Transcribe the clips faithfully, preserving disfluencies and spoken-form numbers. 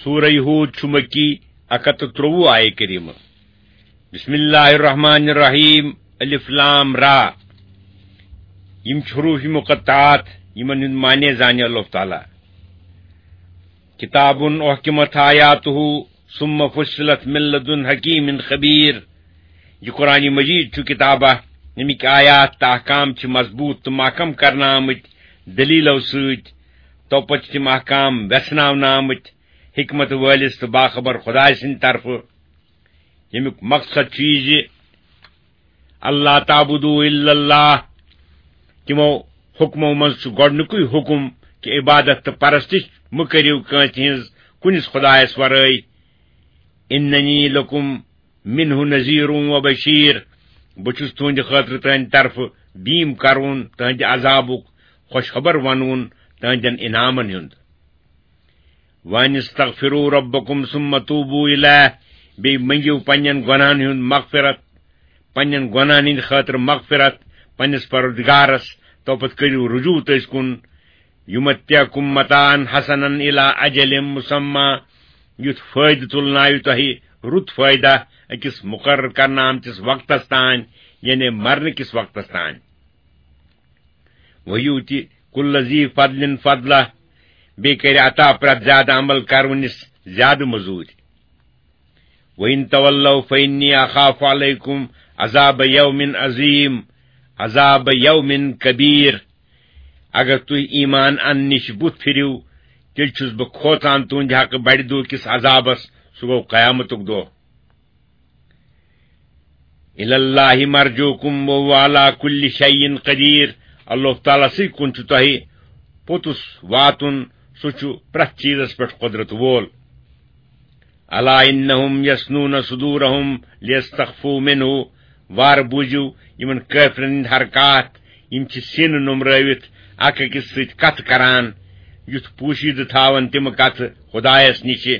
سورہ یہود چھُ مکی، اکھ ہتھ تہٕ ترٛۆوُہ آیہ کریمہ۔ بسم اللہ الرحمن الرحیم، الف لام را۔ یِم چھِ حروف مقطعات، یِمن ہُنٛد معنی زانہِ اللہ تعالیٰ۔ کتاب احکمت آیاتہ ثم فصلت من لدن حکیم خبیر۔ یہِ قرآن مجید چھُ کتابہ، ییٚمِکۍ آیات تہٕ احکام چھِ مضبوط تہٕ محکم کرنہٕ آمٕتۍ دلیلو سۭتۍ۔ تو پتہٕ چھِ تِم احکام ویژھناونہٕ آمٕتۍ حکمت وٲلِس تہٕ باخبر خدایہِ سٕنٛدِ طرفہٕ، ییٚمیُک مقصد چھُ یہِ زِ اللہ تعبدوا الا اللہ، تِمو حکمو منٛز چھُ گۄڈٕنیُکُے حکم کہِ عبادت تہٕ پرستش مہٕ کٔرِو کٲنٛسہِ ہٕنٛز کُنِس خدایس ورٲے۔ اننی لکم منہ نذیر و بشیر، بہٕ چھُس تُہنٛدِ خٲطرٕ تُہنٛدِ طرفہٕ بیٖم کرون تُہنٛدِ عذابُک، خوشخبر ونوُن تُہنٛدٮ۪ن انعامن ہُنٛد۔ وان استغفروا ربکم ثم توبوا الیہ، بیٚیہِ منٛگِو پننٮ۪ن گۄناہن ہُنٛد مغفرت، پننٮ۪ن گۄناہن ہٕنٛدِ خٲطرٕ مغفرت پننِس پروردگارس، تو پتہٕ کٔرِو رجوع تٔسۍ کُن۔ یمتعکم متاعا حسنا الی اجل مسمی، یُتھ فٲیدٕ تُلناوِ تۄہہِ رُت فٲیدٕ أکِس مُقرر کرنہٕ آمتِس وقتس تام، یعنی مرنہٕ کِس وقتس تام۔ وَیُؤْتِ کُلَّ ذِی فَضْلٍ فَضْلَہُ، بیٚیہِ کرِ عطا پرٛٮ۪تھ زیادٕ عمل کرونِس زیادٕ مٔزوٗرۍ۔ وَإِن تَوَلَّوْا فَإِنِّی أَخَافُ عَلَیْکُمْ عَذَابَ یَوْمٍ عَظِیم، عَذَابَ یَوْمٍ کَبِیر۔ اگر تُہۍ ایمان اننہٕ نِش بُتھ پھِرِو، تیٚلہِ چھُس بہٕ کھوژان تُہنٛدِ حقہٕ بڑِ دۄہ کِس عذابس، سُہ گوٚو قیامتُک دۄہ۔ الی اللہ مرجعکم وہو علی کل شیء قدیر، اللہ تعالیٰ سٕے کُن چھُ تۄہہِ پوٚتُس واتُن، سُہ چھُ پرٛٮ۪تھ چیٖزس پٮ۪ٹھ قۄدرت وول۔ الا انہم یثنون صدورہم لیستخفوا منہ، وارٕ بوٗزِو یِمن کٲفرن ہٕنٛدۍ حرکات، یِم چھِ سیٖنہٕ نوٚمرٲوِتھ اکھ أکِس سۭتۍ کتھٕ کران، یُتھ پوٗشیدٕ تھاون تِم کتھٕ خدایس نِشہِ۔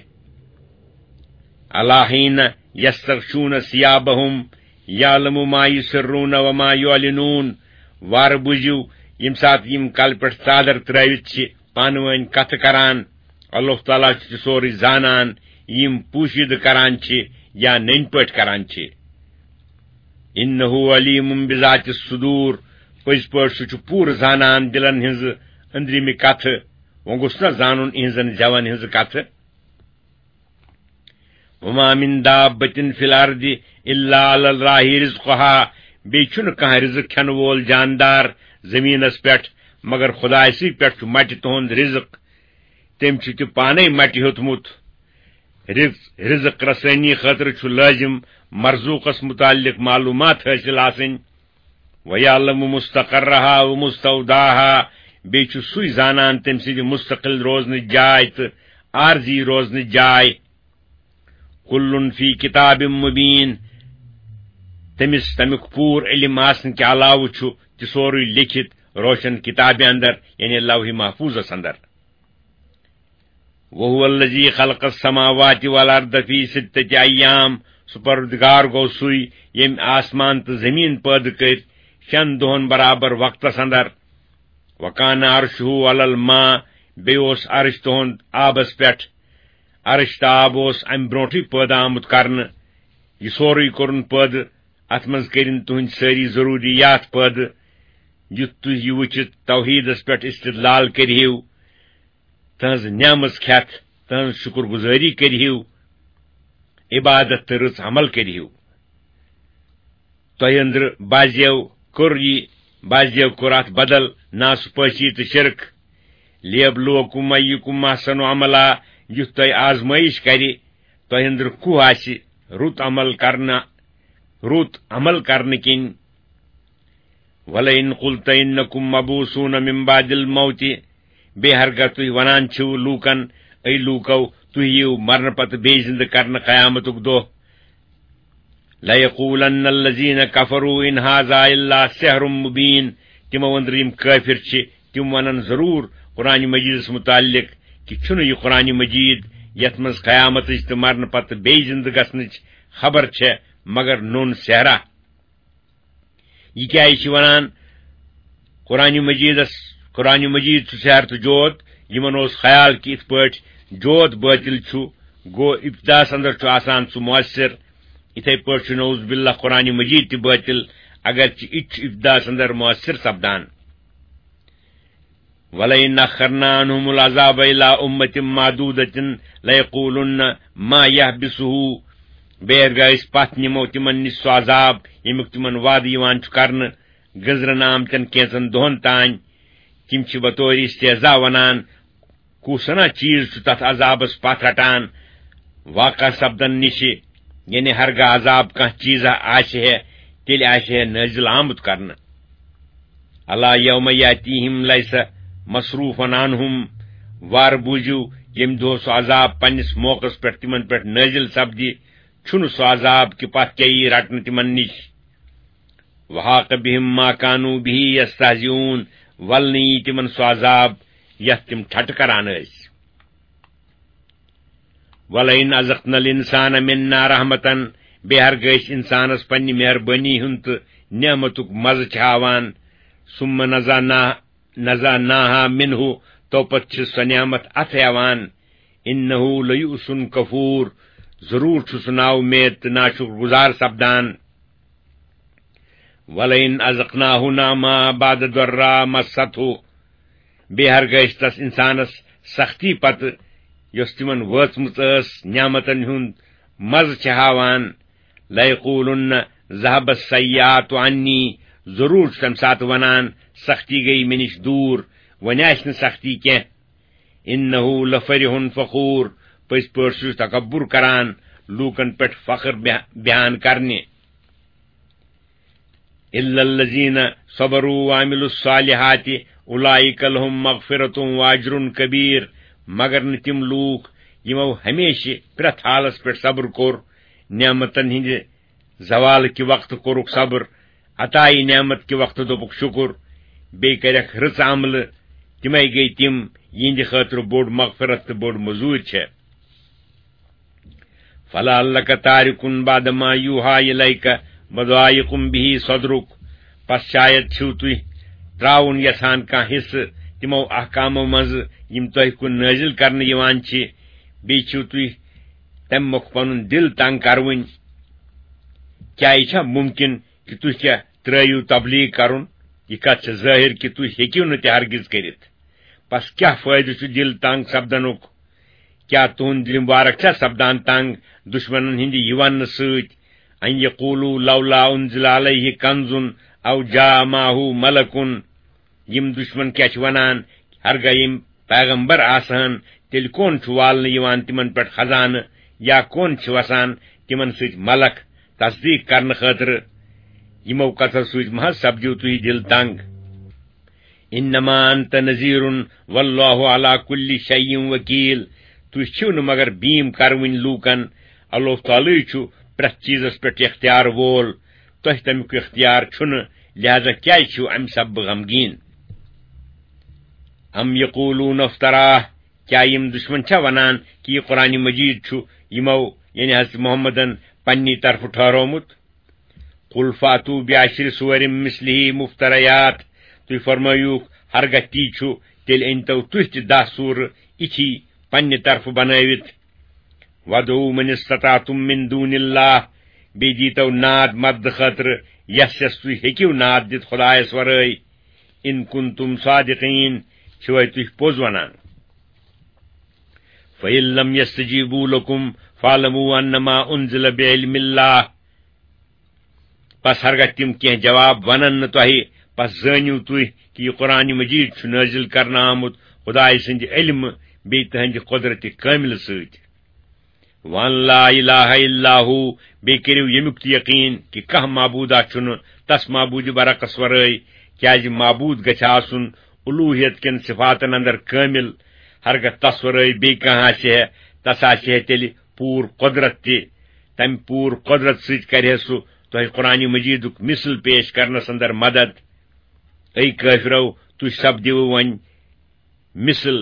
الا حین یستغشون ثیابہم یعلم ما یسرون وما یعلنون، وارٕ بوٗزِو ییٚمہِ ساتہٕ یِم کلہٕ پٮ۪ٹھ ژادر ترٲوِتھ چھِ پانہٕ وٲنۍ کتھٕ کران، اللہ تعالیٰ چھُ تہِ سورُے زانان، یِم پوٗشیدٕ کران چھِ یا نٔنۍ پٲٹھۍ کران چھِ۔ انہ علیم بذات الصدور، پٔزۍ پٲٹھۍ سُہ چھُ پوٗرٕ زانان دِلن ہٕنٛزٕ أنٛدرِمہِ کتھٕ۔ وۄنۍ گوٚژھ نا زانُن یِہٕنٛزن زٮ۪ون ہٕنٛزٕ کتھٕ۔ وما من دابة فی الارض الا علی اللہ رزقها، بیٚیہِ چھُنہٕ کانٛہہ رزق کھٮ۪نہٕ وول جاندار زٔمیٖنس پٮ۪ٹھ مگر خدایہِ سٕے پٮ۪ٹھ چھُ مٹہِ تُہُنٛد رزق۔ تٔمۍ چھُ تہِ پانے مٹہِ ہیوٚتمُت۔ رز-، رزق رسٲنی خٲطرٕ چھُ لٲزم مرزوقس متعلق معلومات حٲصِل آسٕنۍ۔ وَیَعْلَمُ مُسْتَقَرَّهَا وَمُسْتَوْدَاهَا، بیٚیہِ چھُ سُے زانان تٔمۍ سٕنٛدِ مستقل روزنٕچ جاے تہٕ عارضی روزنٕچ جاے۔ کُلٌّ فِی کِتابٍ مُبیٖن، تٔمِس تَمیُک پوٗرٕ علم آسنہٕ کہِ علاوٕ چھُ تہِ سورُے لیکھِتھ روشن کِتابہِ اندر، یعنی لوح محفوظس اندر۔ وَهُوَ الَّذِی خَلَقَ السَّمَاوَاتِ وَالْأَرْضَ فِی سِتَّةِ أَیَّامٍ، سُہ پروردگار گوٚو سُے ییٚمۍ آسمان تہٕ زٔمیٖن پٲدٕ کٔرۍ شٮ۪ن دۄہن برابر وقتس اندر۔ وَکَانَ عَرْشُهُ عَلَى الْمَاءِ، بیٚیہِ اوس عرش تُہُنٛد آبس پٮ۪ٹھ۔ عرش تہٕ آب اوس امہِ برونٹھٕے پٲدٕ آمُت کرنہٕ۔ یہِ سورُے کوٚرُن پٲدٕ، اتھ منٛز کٔرِن تُہنٛدۍ سٲری ضروٗریات پٲدٕ، یُتھ تُہۍ یہِ وٕچھِتھ توحیٖدس پٮ۪ٹھ استدلال کٔرِہِو۔ تہنٛز نعمژ کھٮ۪تھ، تہنٛز شُکر گُزٲری کٔرِہِو، عبادت تہٕ رٕژ عمل کٔرِہِو۔ تۄہہِ أنٛدرٕ بعضیو کوٚر یہِ، بعضیو کوٚر اتھ بدل ناسپٲسی تہٕ شرک۔ لیبلوکم ایکم احسن عملا، یُتھ تۄہہِ آزمٲیش کرِ، تۄہہِ أنٛدرٕ کُہ آسہِ رُت عمل کرنہٕ، رُت عمل کرنہٕ کِنۍ۔ وَلَئِن قُلْتَ إِنَّكُمْ مَبْعُوثُونَ مِنْ بَعْدِ الْمَوْتِ، بیٚیہِ ہرگاہ تُہۍ ونان چھِو لوٗکن، اے لوٗکو، تُہۍ یِیِو مرنہٕ پتہٕ بیٚیہِ زِندٕ کرنہٕ قیامتُک دۄہ۔ لَيَقُولَنَّ الَّذِينَ كَفَرُوا إِنْ هَذَا إِلَّا سِحْرٌ مُبِينٌ، تِمو أنٛدرٕ یِم کٲفِر چھِ، تِم ونن ضروٗر قرآن مجیدس متعلق کہِ چھُنہٕ یہِ قرآن مجید یتھ منٛز قیامتٕچ تہٕ مرنہٕ پتہٕ بیٚیہِ زِندٕ گژھنٕچ خبر چھےٚ مگر نوٚن سحرا۔ یہِ کیٛازِ چھِ ونان قرآن مجیدس، قرآن مجید چھُ سحر تہٕ جوت؟ یِمن اوس خیال کہِ یِتھ پٲٹھۍ جوت باطل چھُ، گوٚو ابتداہس اندر چھُ آسان سُہ مؤثر۔ یِتھے پٲٹھۍ چھُ نعوذ باللہ قرآن مجید تہِ باطل، اگرچہِ یہِ تہِ چھُ ابتداہس اندر مؤثر سپدان۔ وَلَئِنْ أَخَّرْنَا عَنْهُمُ الْعَذَابَ إِلَىٰ أُمَّةٍ مَّعْدُودَةٍ لَيَقُولُنَّ مَا يَحْبِسُهُ۔ بیٚیہِ ہرگاہ أسۍ پتھ نِمو تِمن نِش سُہ عذاب، ییٚمیُک تِمن وعدٕ یِوان چھُ کرنہٕ، گٔنزرن آمتٮ۪ن کینژن دۄہن تام۔ تِم چھِ بطور استہزا ونان، کُس ہنا چیز چھُ تتھ عذابس پتھ رٹان واقع سپدن نِشہِ؟ یعنی ہرگاہ عذاب کانٛہہ چیزا آسہِ ہے، تیٚلہِ آسہِ ہے نٲزِل آمُت کرنہٕ۔ الا یوم یاتیہم لیس مصروفا عنہم، وار بوٗزِو، ییٚمہِ دۄہ سُہ عذاب پننِس موقعس پٮ۪ٹھ تِمن پٮ۪ٹھ نٲزِل سپدِ، چھُنہٕ سُہ عذاب کہِ پتھ کیٛاہ یی رٹنہٕ تِمن نِش۔ وحاق بہم ما کانوا بہ یستہزئون، ولنہٕ یی تِمن سُہ عذاب یتھ تِم ٹھٹہٕ کران ٲسۍ۔ وَلَئِنْ أَذَقْنَا الْإِنسَانَ مِنَّا رَحْمَةً، بیٚیہِ ہرگاہ أسۍ اِنسانَس پننہِ مہربٲنی ہُنٛد تہٕ نعمتُک مَزٕ چھِ ہاوان، ثُمَّ نَزَعْنَا-، نَزَعْنَاهَا مِنْهُ، تو پتہٕ چھِ سۄ نعمت اَتھٕ ہٮ۪وان، إِنَّهُ لَيَئُوسٌ كَفُورٌ، ضروٗر چھُ سُہ نااُمید تہٕ ناشُکر گُزار سپدان۔ وَلَئِنْ أَذَقْنَاهُ نَعْمَاءَ بَعْدَ ضَرَّاءَ مَسَّتْهُ، بیٚیہِ ہرگاہ أسۍ تس اِنسانس سختی پتہٕ، یۄس تِمن وٲژمٕژ ٲس نعمتن ہُنٛد مزٕ چھِ ہاوان، لَيَقُولُنَّ ذَهَبَ السَّيِّئَاتُ عَنِّي، ضروٗر چھُ تمہِ ساتہٕ ونان، سختی گٔیہِ مےٚ نِش دوٗر، وۄنۍ آسہِ نہٕ سختی کینٛہہ۔ إِنَّهُ لَفَرِحٌ فَخُورٌ، پٔزۍ پٲٹھۍ چھُ تکبر کران، لوٗکن پٮ۪ٹھ فخر بیان، بیان کرنہِ۔ إِلَّا الَّذِينَ صَبَرُوا وَعَمِلُوا الصَّالِحَاتِ أُولَٰئِكَ لَهُم مَّغْفِرَةٌ وَأَجْرٌ كَبِيرٌ، مگر نہٕ تِم لوٗکھ یِمو ہمیشہِ پرٛٮ۪تھ حالس پٮ۪ٹھ صبر کوٚر، نعمتن ہٕنٛدِ زوال کہِ وقتہٕ کوٚرُکھ صبر، عطایہِ نعمت کہِ وقتہٕ دوٚپُکھ شُکُر، بیٚیہِ کَرٮ۪کھ رٕژ عملہٕ، تِمے گٔے تِم، یِہنٛدِ خٲطرٕ بوٚڑ مغفرت تہٕ بٔڑ مٔزوٗرۍ چھےٚ۔ فَلَعَلَّكَ تَارِكٌ بَعْضَ مَا يُوحَىٰ إِلَيْكَ وَضَائِقٌ بِهِ صَدْرُكَ، پس شاید چھِو تُہۍ ترٛاوُن یژھان کانٛہہ حصہٕ تِمو احکامو منٛزٕ یِم تۄہہِ کُن نٲزِل کرنہٕ یِوان چھِ، بیٚیہِ چھِو تُہۍ تَمہِ مۄکھٕ پنُن دِل تنگ کروٕنۍ۔ کیٛاہ یہِ چھا مُمکِن کہِ تُہۍ کیٛاہ ترٛٲوِو تبلیغ کرُن؟ یہِ کتھ چھِ ظٲہِر کہِ تُہۍ ہیٚکِو نہٕ تہِ ہرگِز کٔرِتھ۔ پس کیٛاہ فٲیدٕ چھُ دِل تنگ سپدنُک؟ کیٛاہ تُہُنٛد دِل مبارک چھا سپدان تنگ دُشمنن ہٕنٛدِ یہِ وننہٕ سۭتۍ، أن یقولوا لولا أنزل عليه كنز أو جاء معه ملك؟ یِم دُشمن کیٛاہ چھِ ونان، ہرگاہ یِم پیغمبر آسہٕ ہن، تیٚلہِ کون چھُ والنہٕ یِوان تِمن پٮ۪ٹھ خزانہٕ، یا کون چھِ وسان تِمن سۭتۍ ملک تصدیق کرنہٕ خٲطرٕ؟ یِمو کتھو سۭتۍ مہ حظ سپدِو تُہۍ دِل تنگ۔ إنما أنت نذير والله على كل شيء وكيل۔ تُہۍ چھِو نہٕ مگر بیٖم کروٕنۍ لوٗکن، اللہ تعالیٰ چھُ پرٛٮ۪تھ چیٖزس پٮ۪ٹھ اختیار وول، تۄہہِ تمیُک اختیار چھُنہٕ، لہذا کیٛازِ چھِو امہِ سببہٕ غمگیٖن؟ أم يقولون افتراه، کیٛاہ یِم دُشمن چھا ونان کہِ یہِ قرآن مجید چھُ یِمو، یعنی حضرت محمدن، پننی طرفہٕ ٹھہرومُت؟ قل فاتوا بعشر سور مثله مفتريات، تُہۍ فرمٲیوُکھ، ہرگاہ تی چھُ، تیٚلہِ أنۍتو تُہۍ تہِ دَہ سوٗرٕ یِتھی پننہِ طرفہٕ بنٲوِتھ۔ وادعوا من استطعتم من دون الله، بیٚیہِ دیٖتو ناد مدد خٲطرٕ یس یس تُہۍ ہیٚکِو ناد دِتھ خدایس ورٲے۔ ان کنتم صادقین، چھِوے تُہۍ پوٚز ونان؟ فإن لم يستجيبوا لكم فاعلموا أنما أنزل بعلم الله۔ پس ہرگاہ تِم کینٛہہ جواب ونن نہٕ تۄہہِ، پس زٲنِو تُہۍ کہِ یہِ قرآن مجید چھُ نٲزِل کرنہٕ آمُت خدایہِ سٕنٛدِ علمہٕ بیٚیہِ تٕہٕنٛدِ قۄدرتِ کٲملہٕ سۭتۍ۔ وأن لا إله إلا هو، بیٚیہِ کٔرِو ییٚمیُک تہِ یقیٖن کہِ کانٛہہ معبوٗدا چھُنہٕ تس معبوٗدِ برحقس ورٲے، کیازِ معبوٗد گژھِ آسُن الوٗہیت کٮ۪ن صفاتن اندر کٲمل۔ ہرگاہ تس ورٲے بیٚیہِ کانٛہہ آسہِ ہے، تس آسہِ ہے تیٚلہِ پوٗرٕ قۄدرت تہِ۔ تمہِ پوٗرٕ قۄدرت سۭتۍ کرِ ہے سُہ تۄہہِ قرآن مجیدُک مثل پیش کرنس اندر مدد۔ اے کٲفرو، تُہۍ سپدِوٕ وۄنۍ مثل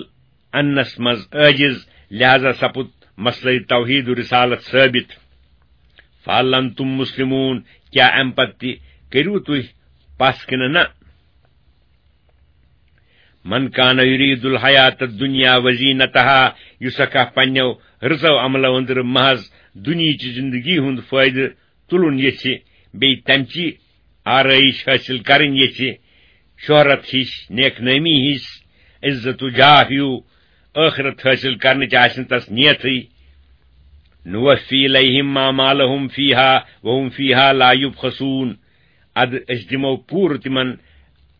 اننس منٛز عٲجز، لہذا سپُد مسلہٕ توحید و رسالت ثٲبت۔ فہل انتم مسلمون، کیٛاہ امہِ پتہٕ تہِ کٔرِو تُہۍ پس کِنہٕ نہ؟ من کان یرید الحیات الدنیا وزینتہا، یُس اکھ پننیو رٕژو عملو أنٛدرٕ محض دُنیہٕچ زندگی ہُنٛد فٲیدٕ تُلُن یژھِ، بیٚیہِ تمچی آرٲیش حٲصِل کرٕنۍ یژھِ، شہرت ہِش، نیک نٲمی ہِش، عزت و جاہ ہیو، ٲخرت حٲصِل کرنٕچ آسہِ نہٕ تس نیتھٕے۔ نوفی الیہم اعمالہم فیہا وہم فیہا لا یبخسون۔ ادٕ أسۍ دِمو پوٗرٕ تِمن،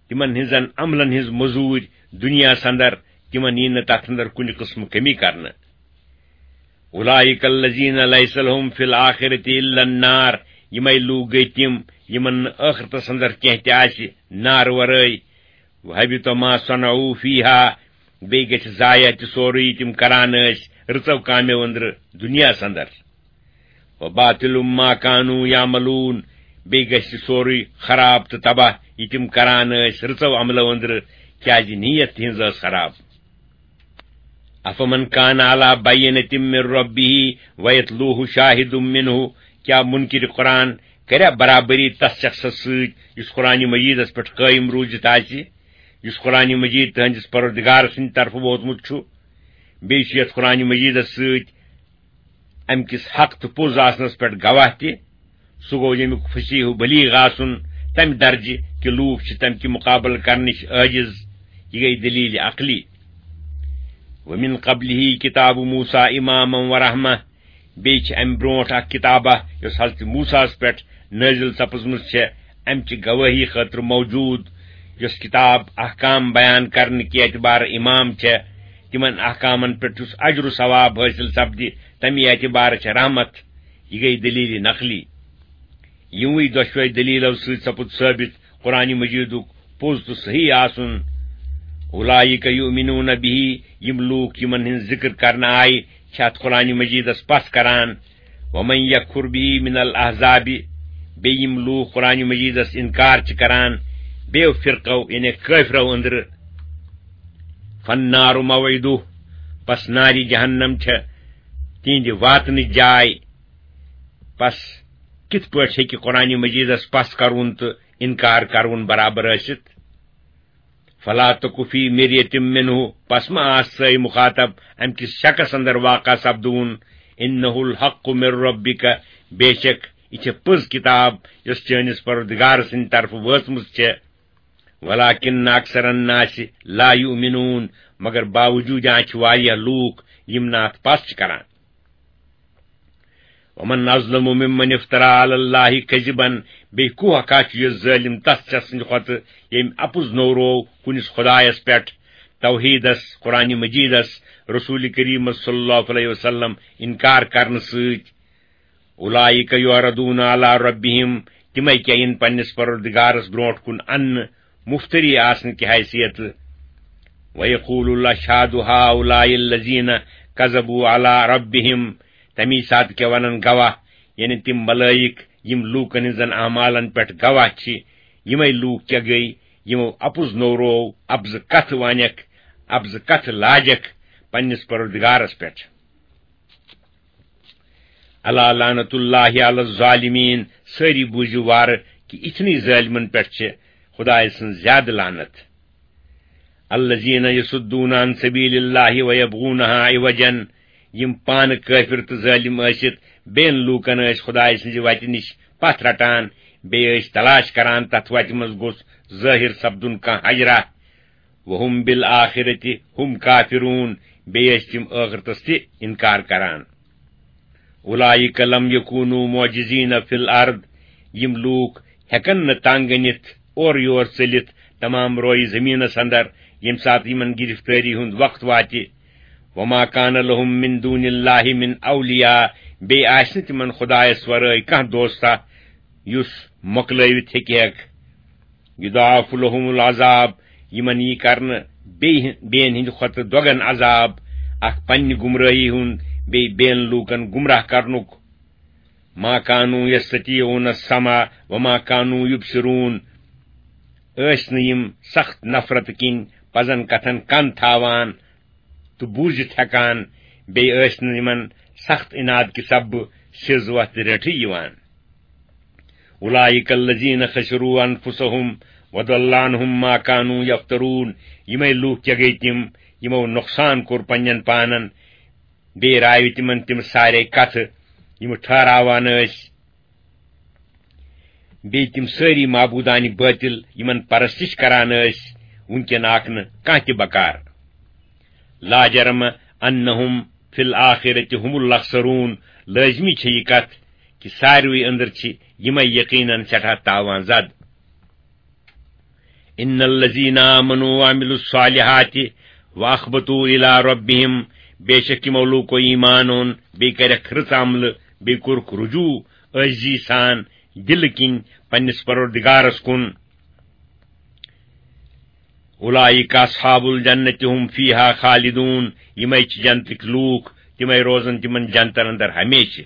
تِمن ہٕنٛزن عملن ہٕنٛز مٔزوٗرۍ دُنیاہس اندر، تِمن یی نہٕ تتھ اندر کُنہِ قٕسمہٕ کٔمی کرنہٕ۔ اولئک الذین لیس لہم فی الآخرۃ الا النار، یِمے لوٗکھ گٔے تِم یِمن نہٕ ٲخرتس اندر کینٛہہ تہِ آسہِ نارٕ ورٲے۔ وحبط ما صنعوا فیہا، بیٚیہِ گژھِ ضایع تہِ سورُے یہِ تِم کران ٲسۍ رٕژو کامیو أنٛدرٕ دُنیاہس اندر۔ وباطل ما کانوا یعملون، بیٚیہِ گژھِ سورُے خراب تہٕ تباہ یہِ تِم کران ٲسۍ رٕژو عملو أنٛدرٕ، کیازِ نیت تِہنٛز ٲس خراب۔ افمن کان علی بینۃ من ربہ ویتلوہ شاہد منہ، کیا منکر قرآن کریا برابری تس شخصس سۭتۍ یُس قرآن مجیدس پٮ۪ٹھ قٲیِم روٗزِتھ آسہِ، یُس قرآن مجید تہنٛدِس پروردگار سٕنٛدِ طرفہٕ ووتمُت چھُ؟ بیٚیہِ چھُ یتھ قرآن مجیدس سۭتۍ امہِ کِس حق تہٕ پوٚز آسنس پٮ۪ٹھ گواہ تہِ۔ سُہ گوٚو ییٚمیُک فصیح و بلیغ آسُن، تمہِ درجہِ کہِ لوٗکھ چھِ تمہِ کہِ مُقابلہٕ کرنٕچ عٲجِز۔ یہِ گٔے دلیل عقلی۔ ومن قبلہ کتاب موسیٰ اماما و رحمہ، بیٚیہِ چھِ امہِ برونٛٹھ اکھ کتابہ یۄس حضرت موسیٰ ہس پٮ۪ٹھ نٲزِل سپٕزمٕژ چھےٚ، امہِ چہِ گوٲہی خٲطرٕ موجود، یۄس کتاب احکام بیان کرنہٕ کہِ اعتبارٕ امام چھےٚ، تِمن احکامن پٮ۪ٹھ یُس اجر و ثواب حٲصِل سپدِ، تمہِ اعتبارٕ چھےٚ رحمت۔ یہِ گٔے دلیل نقلی۔ یِموٕے دۄشوے دلیلو سۭتۍ سپُد ثٲبت قرآن مجیدُک پوٚز تہٕ صحیح آسُن۔ اولئک یؤمنون بہ، یِم لوٗکھ یِمن ہٕنٛز ذکر کرنہٕ آیہِ چھِ اتھ قرآن مجیدس پژھ کران۔ ومن یکفر بہ من الاحزاب، بیٚیہِ یِم لوٗکھ قرآن مجیدس انکار چھِ کران بیٚیو فرقو یعنی کٲفرو أنٛدرٕ، فالنار موعدہ، پس نارِ جہنم چھےٚ تِہنٛدِ واتنٕچ جاے۔ پس کِتھ پٲٹھۍ ہیٚکہِ قرآن مجیدس پژھ کرُن تہٕ انکار کرُن برابر ٲسِتھ؟ فلا تک فی مریۃ منہ، پس ما آس سٲے مخاطب امہِ کِس شکس اندر واقع سپدوُن۔ انہ الحق من ربک، بے شک یہِ چھےٚ پٔز کتاب یۄس چٲنِس پروردگار سٕنٛدِ طرفہٕ وٲژمٕژ چھےٚ۔ ولکن اکثر الناس لا یؤمنون، مگر باوجود اَتھ چھِ واریاہ لوٗکھ یِم نہٕ اتھ پژھ چھِ کران۔ ومن اظلم ممن افترى على الله كذبا، بیٚیہِ کُس ہا چھُ یہِ ظٲلِم تس شخص سٕنٛدِ کھۄتہٕ ییٚمۍ اپُز نوروو کُنِس خدایس پٮ۪ٹھ، توحیدس، قرآن مجیدس، رسول کریمس صلی اللہ علیہ وسلم انکار کرنہٕ سۭتۍ۔ اولئک یعرضون علی ربہم، تِمے کیاہ یِن پننِس پروردگارس برونٛٹھ کُن اننہٕ مفتری آسنہٕ کہِ حیثیتہٕ۔ ویقول الاشہاد ہؤلاء الذین کذبوا علی ربہم، تمی ساتہٕ کیاہ ونن گواہ، یعنی تِم ملائک یِم لوٗکن ہٕنٛزن اعمالن پٮ۪ٹھ گواہ چھِ، یِمے لوٗکھ کیاہ گٔے یِمو اپُز نوروو، اپزٕ کتھٕ وانکھ، اپزٕ کتھٕ لاجکھ پننِس پروردگارس پٮ۪ٹھ۔ الا لعنت اللہ علی الظالمین، سٲری بوٗزِو وارٕ کہِ اِتھنٕے ظٲلمن پٮ۪ٹھ چھِ خدایہِ سٕنٛز زیادٕ لعنت۔ الذین یصدون عن سبیل اللہ ویبغونہا عوجا، یِم پانہٕ کٲفِر تہٕ ظٲلِم ٲسِتھ بیٚین لوٗکن ٲسۍ خدایہِ سٕنٛزِ وتہِ نِش پتھ رٹان، بیٚیہِ ٲسۍ تلاش کران تتھ وتہِ منٛز گوٚژھ ظٲہِر سپدُن کانٛہہ حجرہ۔ وہم بالآخرۃ ہم کافرون، بیٚیہِ ٲسۍ تِم ٲخرتس تہِ انکار کران۔ اولئک لم یکونوا معجزین فی الارض، یِم لوٗکھ ہٮ۪کن نہٕ تنگ أنِتھ اورٕ یور ژٔلِتھ تمام رویہِ زٔمیٖنس اندر، ییٚمہِ ساتہٕ یِمن گرفتٲری ہُنٛد وقت واتہِ۔ وما کان لہم من دون اللہ من اولیاء، بیٚیہِ آسہِ نہٕ تِمن خدایس ورٲے کانٛہہ دوستہ یُس مۄکلٲوِتھ ہیٚکہِ ہٮ۪کھ۔ یضاعف لہم العذاب، یِمن یی کرنہٕ بیٚیہِ بیٚین ہٕنٛدِ کھۄتہٕ دۄگن عذاب، اکھ پننہِ گمرٲہی ہُنٛد، بیٚیہِ بیٚین لوٗکن گمراہ کرنُک۔ ما کانوا یستطیعون السمع وما کانوا یبصرون، ٲسۍ نہٕ یِم سخت نفرت کِنۍ پزن کتھن کن تھاوان تہٕ بوٗزِتھ ہٮ۪کان، بیٚیہِ ٲسۍ نہٕ یِمن سخت عناد کہِ سببہٕ سیٚز وتھ رٔٹھٕے یِوان۔ اولئک الذین خسروا انفسہم وضل عنهم ما كانوا يفترون۔ یِمے لوٗکھ کیٛاہ گٔے تِم، یِمو نۄقصان کوٚر پننٮ۪ن پانن، بیٚیہِ راوِ تِمن تِم سارے کتھٕ، یِم ٹھہراوان ٲسۍ، بیٚیہِ تِم سٲری معبوٗدانہِ بٲطِل، یِمن پرستش کران ٲسۍ، وُنکٮ۪ن آکھ نہٕ کانٛہہ تہِ بکار۔ لا جرم انہم فی الآخرۃ ھم الاخسرون۔ لٲزمی چھےٚ یہِ کتھ کہِ ساروٕے أنٛدر چھِ یِمے یقیناً سٮ۪ٹھاہ تاوان زد۔ ان الذین آمنوا وعملوا الصالحات واخبتوا الی ربہم، بے شک یِمو لوٗکو ایمان اوٚن، بیٚیہِ کَرٮ۪کھ رٕژ عملہٕ، بیٚیہِ کوٚرُکھ رجوع عٲجزی سان دِلہٕ کِنۍ پننِس پروردگارس کُن۔ اولئک اصحاب الجنۃ ھم فیہا خالدون، یِمے چھِ جنتٕکۍ لوٗکھ، تِمے روزن تِمن جنتن اندر ہمیشہِ۔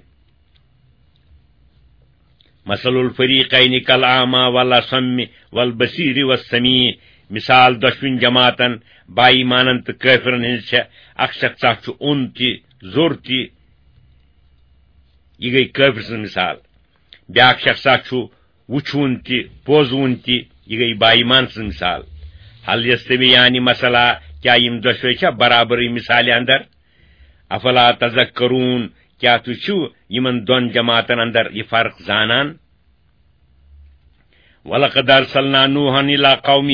مثل الفریقین کالاعمی والاصم والبصیر والسمیع، مثال دۄشوٕنۍ جماعتن، با ایمانن تہٕ کٲفرن ہٕنٛز چھےٚ، اکھ شخصا چھُ اوٚن تہِ، زوٚر تہِ، یہِ گٔے کٲفر سٕنٛز مثال۔ بیٛاکھ شخصا چھُ وُچھوُن تہِ، بوزوُن تہِ، یہِ گٔے با ایمان سٕنٛز مثال۔ حل یستویان مثلا، کیٛاہ یِم دۄشوے چھا برابرٕے مثالہِ اندر؟ افلا تذکرون، کیٛاہ تُہۍ چھِو یِمن دۄن جماعتن اندر یہِ فرق زانان؟ ولقد ارسلنا نوحا الی قومہ،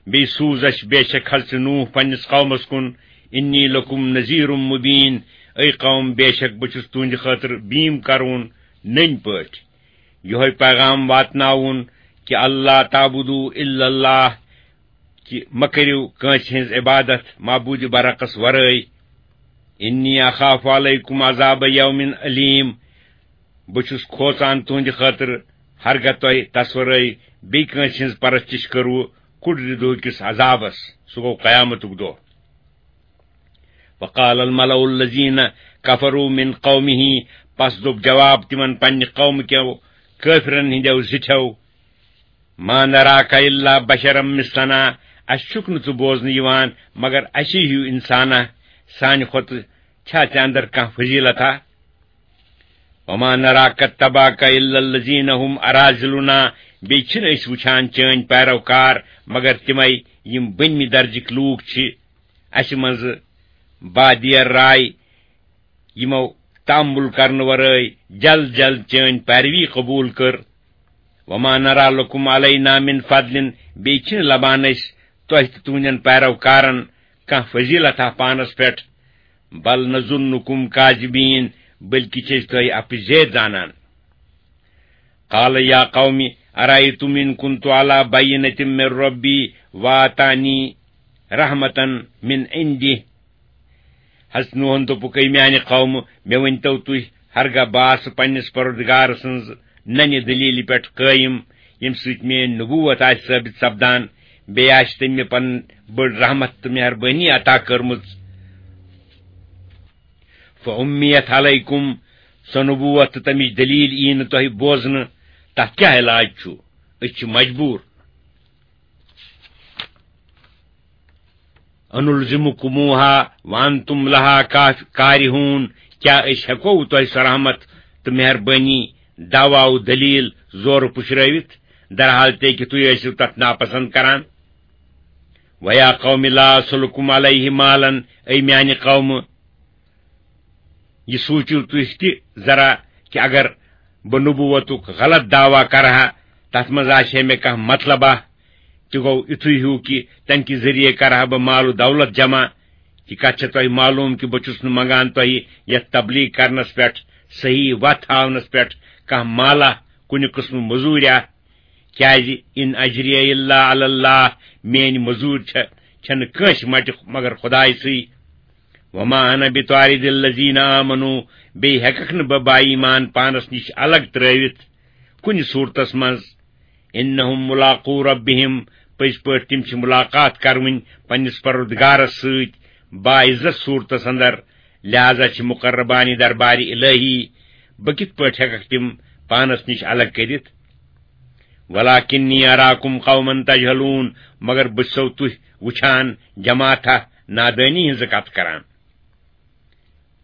بیٚیہِ سوٗز اَسہِ بے شک حضرت نوح پننِس قومس کُن، انی لکم نذیر مبین، اے قوم، بے شک بہٕ چھُس تُہنٛدِ خٲطرٕ بیٖم کرون نٔنۍ پٲٹھۍ۔ یِہوٚے پیغام واتناوُن کہِ اللہ تعبدوا الا اللہ، کہِ مہ کٔرِو کٲنٛسہِ ہٕنٛز عبادت معبوٗدِ برحقس ورٲے۔ انی اخاف علیکم عذاب یوم علیم، بہٕ چھُس کھوژان تُہنٛدِ خٲطرٕ، ہرگاہ تۄہہِ تصورے بیٚیہِ کٲنٛسہِ ہٕنٛز پرستش کٔروٕ کُڑرِ دۄہ کِس عذابس، سُہ گوٚو قیامتُک دۄہ۔ وقال الملأ الذین کفروا من قومہ، پس دوٚپ جواب تِمن پننہِ قومہٕ کیو کٲفرن ہٕنٛدیو زِٹھیو، ما نراک الا بشرا مثلنا، اسہِ چھُکھ نہٕ ژٕ بوزنہٕ یِوان مگر اسی ہیوٗ انسانا، سانہِ کھۄتہٕ چھا ژےٚ اندر کانٛہہ فضیلتا؟ وما نراک اتبعک الا الذین هم اراذلنا، بیٚیہِ چھِنہٕ أسۍ وٕچھان چٲنۍ پیروکار مگر تِمے یِم بٔنمہِ درجٕکۍ لوٗکھ چھِ، اسہِ منٛزٕ بادی الرائے، یِمو تامُل کرنہٕ ورٲے جلد جلد چٲنۍ پیروی قبوٗل کٔر۔ وما نرا لکم علینا من فضل، بیٚیہِ چھِنہٕ لبان أسۍ تۄہہِ تہٕ تُہنٛدٮ۪ن پیروکارن کانٛہہ فضیلتا پانس پٮ۪ٹھ۔ بل نظنکم کاذبین، بلکہِ چھِ أسۍ تۄہہِ اپٕزیت زانان۔ قال یا قوم ارأیتم ان کنت علی بینۃ من ربی وآتانی رحمة من عندہ۔ حضرت نوحن دوٚپُکھ، اے میانہِ قومہٕ، مےٚ ؤنۍتو تُہۍ، ہرگاہ بہٕ آسہٕ پننِس پروردگار سٕنٛز ننہِ دلیلہِ پٮ۪ٹھ قٲیِم، ییٚمہِ سۭتۍ میٲنۍ نبوت آسہِ ثٲبت سپدان، بیٚیہِ آسہِ تٔمۍ مےٚ پنٕنۍ بٔڑ رحمت تہٕ مہربٲنی عطا کٔرمٕژ۔ فامیت علیکم، سۄ نبوت تہٕ تمِچ دلیل یی نہٕ تۄہہِ بوزنہٕ، تتھ کیٛاہ علاج چھُ؟ أسۍ چھِ مجبوٗر۔ انلزمکموہا وانتم لہا کاف-، کارہون، کیٛاہ أسۍ ہٮ۪کو تۄہہِ سۄ رحمت تہٕ مہربٲنی، دعوا و دلیل زورٕ پُشرٲوِتھ، درحال تہِ کہِ تُہۍ ٲسِو تتھ ناپسند کران؟ ویا قوم لا اسلکم علیہ مالا، اے میانہِ قومہٕ، یہِ سوٗنٛچِو تُہۍ تہِ ذرا کہِ اگر بہٕ نبوتُک غلط دعویٰ کرٕ ہا، تتھ منٛز آسہِ ہے مےٚ کانٛہہ مطلبہ، تہِ گوٚو یِتھُے ہیوٗ کہِ تمہِ کہِ ذٔریعہٕ کرٕ ہا بہٕ مال و دولت جمع۔ یہِ کتھ چھےٚ تۄہہِ معلوم کہِ بہٕ چھُس نہٕ منگان تۄہہِ یتھ تبلیغ کرنس پٮ۪ٹھ، صحیح وتھ ہاونس پٮ۪ٹھ کانٛہہ مالہ، کُنہِ قٕسمہٕ مٔزوٗریا۔ کیازِ، ان اجریہ الا علی اللہ، میٲنۍ مٔزوٗرۍ چھےٚ، چھنہٕ کٲنٛسہِ مٹہِ مگر خدایہِ سٕے۔ وما انا بطارد الذین آمنوا، بیٚیہِ ہیٚککھ نہٕ بہٕ با ایمان پانس نِش الگ ترٲوِتھ کُنہِ صوٗرتس منٛز۔ انہم ملاقو ربہم، پٔزۍ پٲٹھۍ تِم چھِ ملاقات کرٕنۍ پننِس پروردگارس سۭتۍ باعزت صوٗرتس اندر، لہذا چھِ مقربانِ دربارِ الہی، بہٕ کِتھ پٲٹھۍ ہیٚککھ تِم پانس نِش الگ کٔرِتھ؟ ولکنی اراکم قوما تجہلون، مگر بہٕ چھُسو تُہۍ وٕچھان جماعتھا نادٲنی ہٕنٛز کتھ کران۔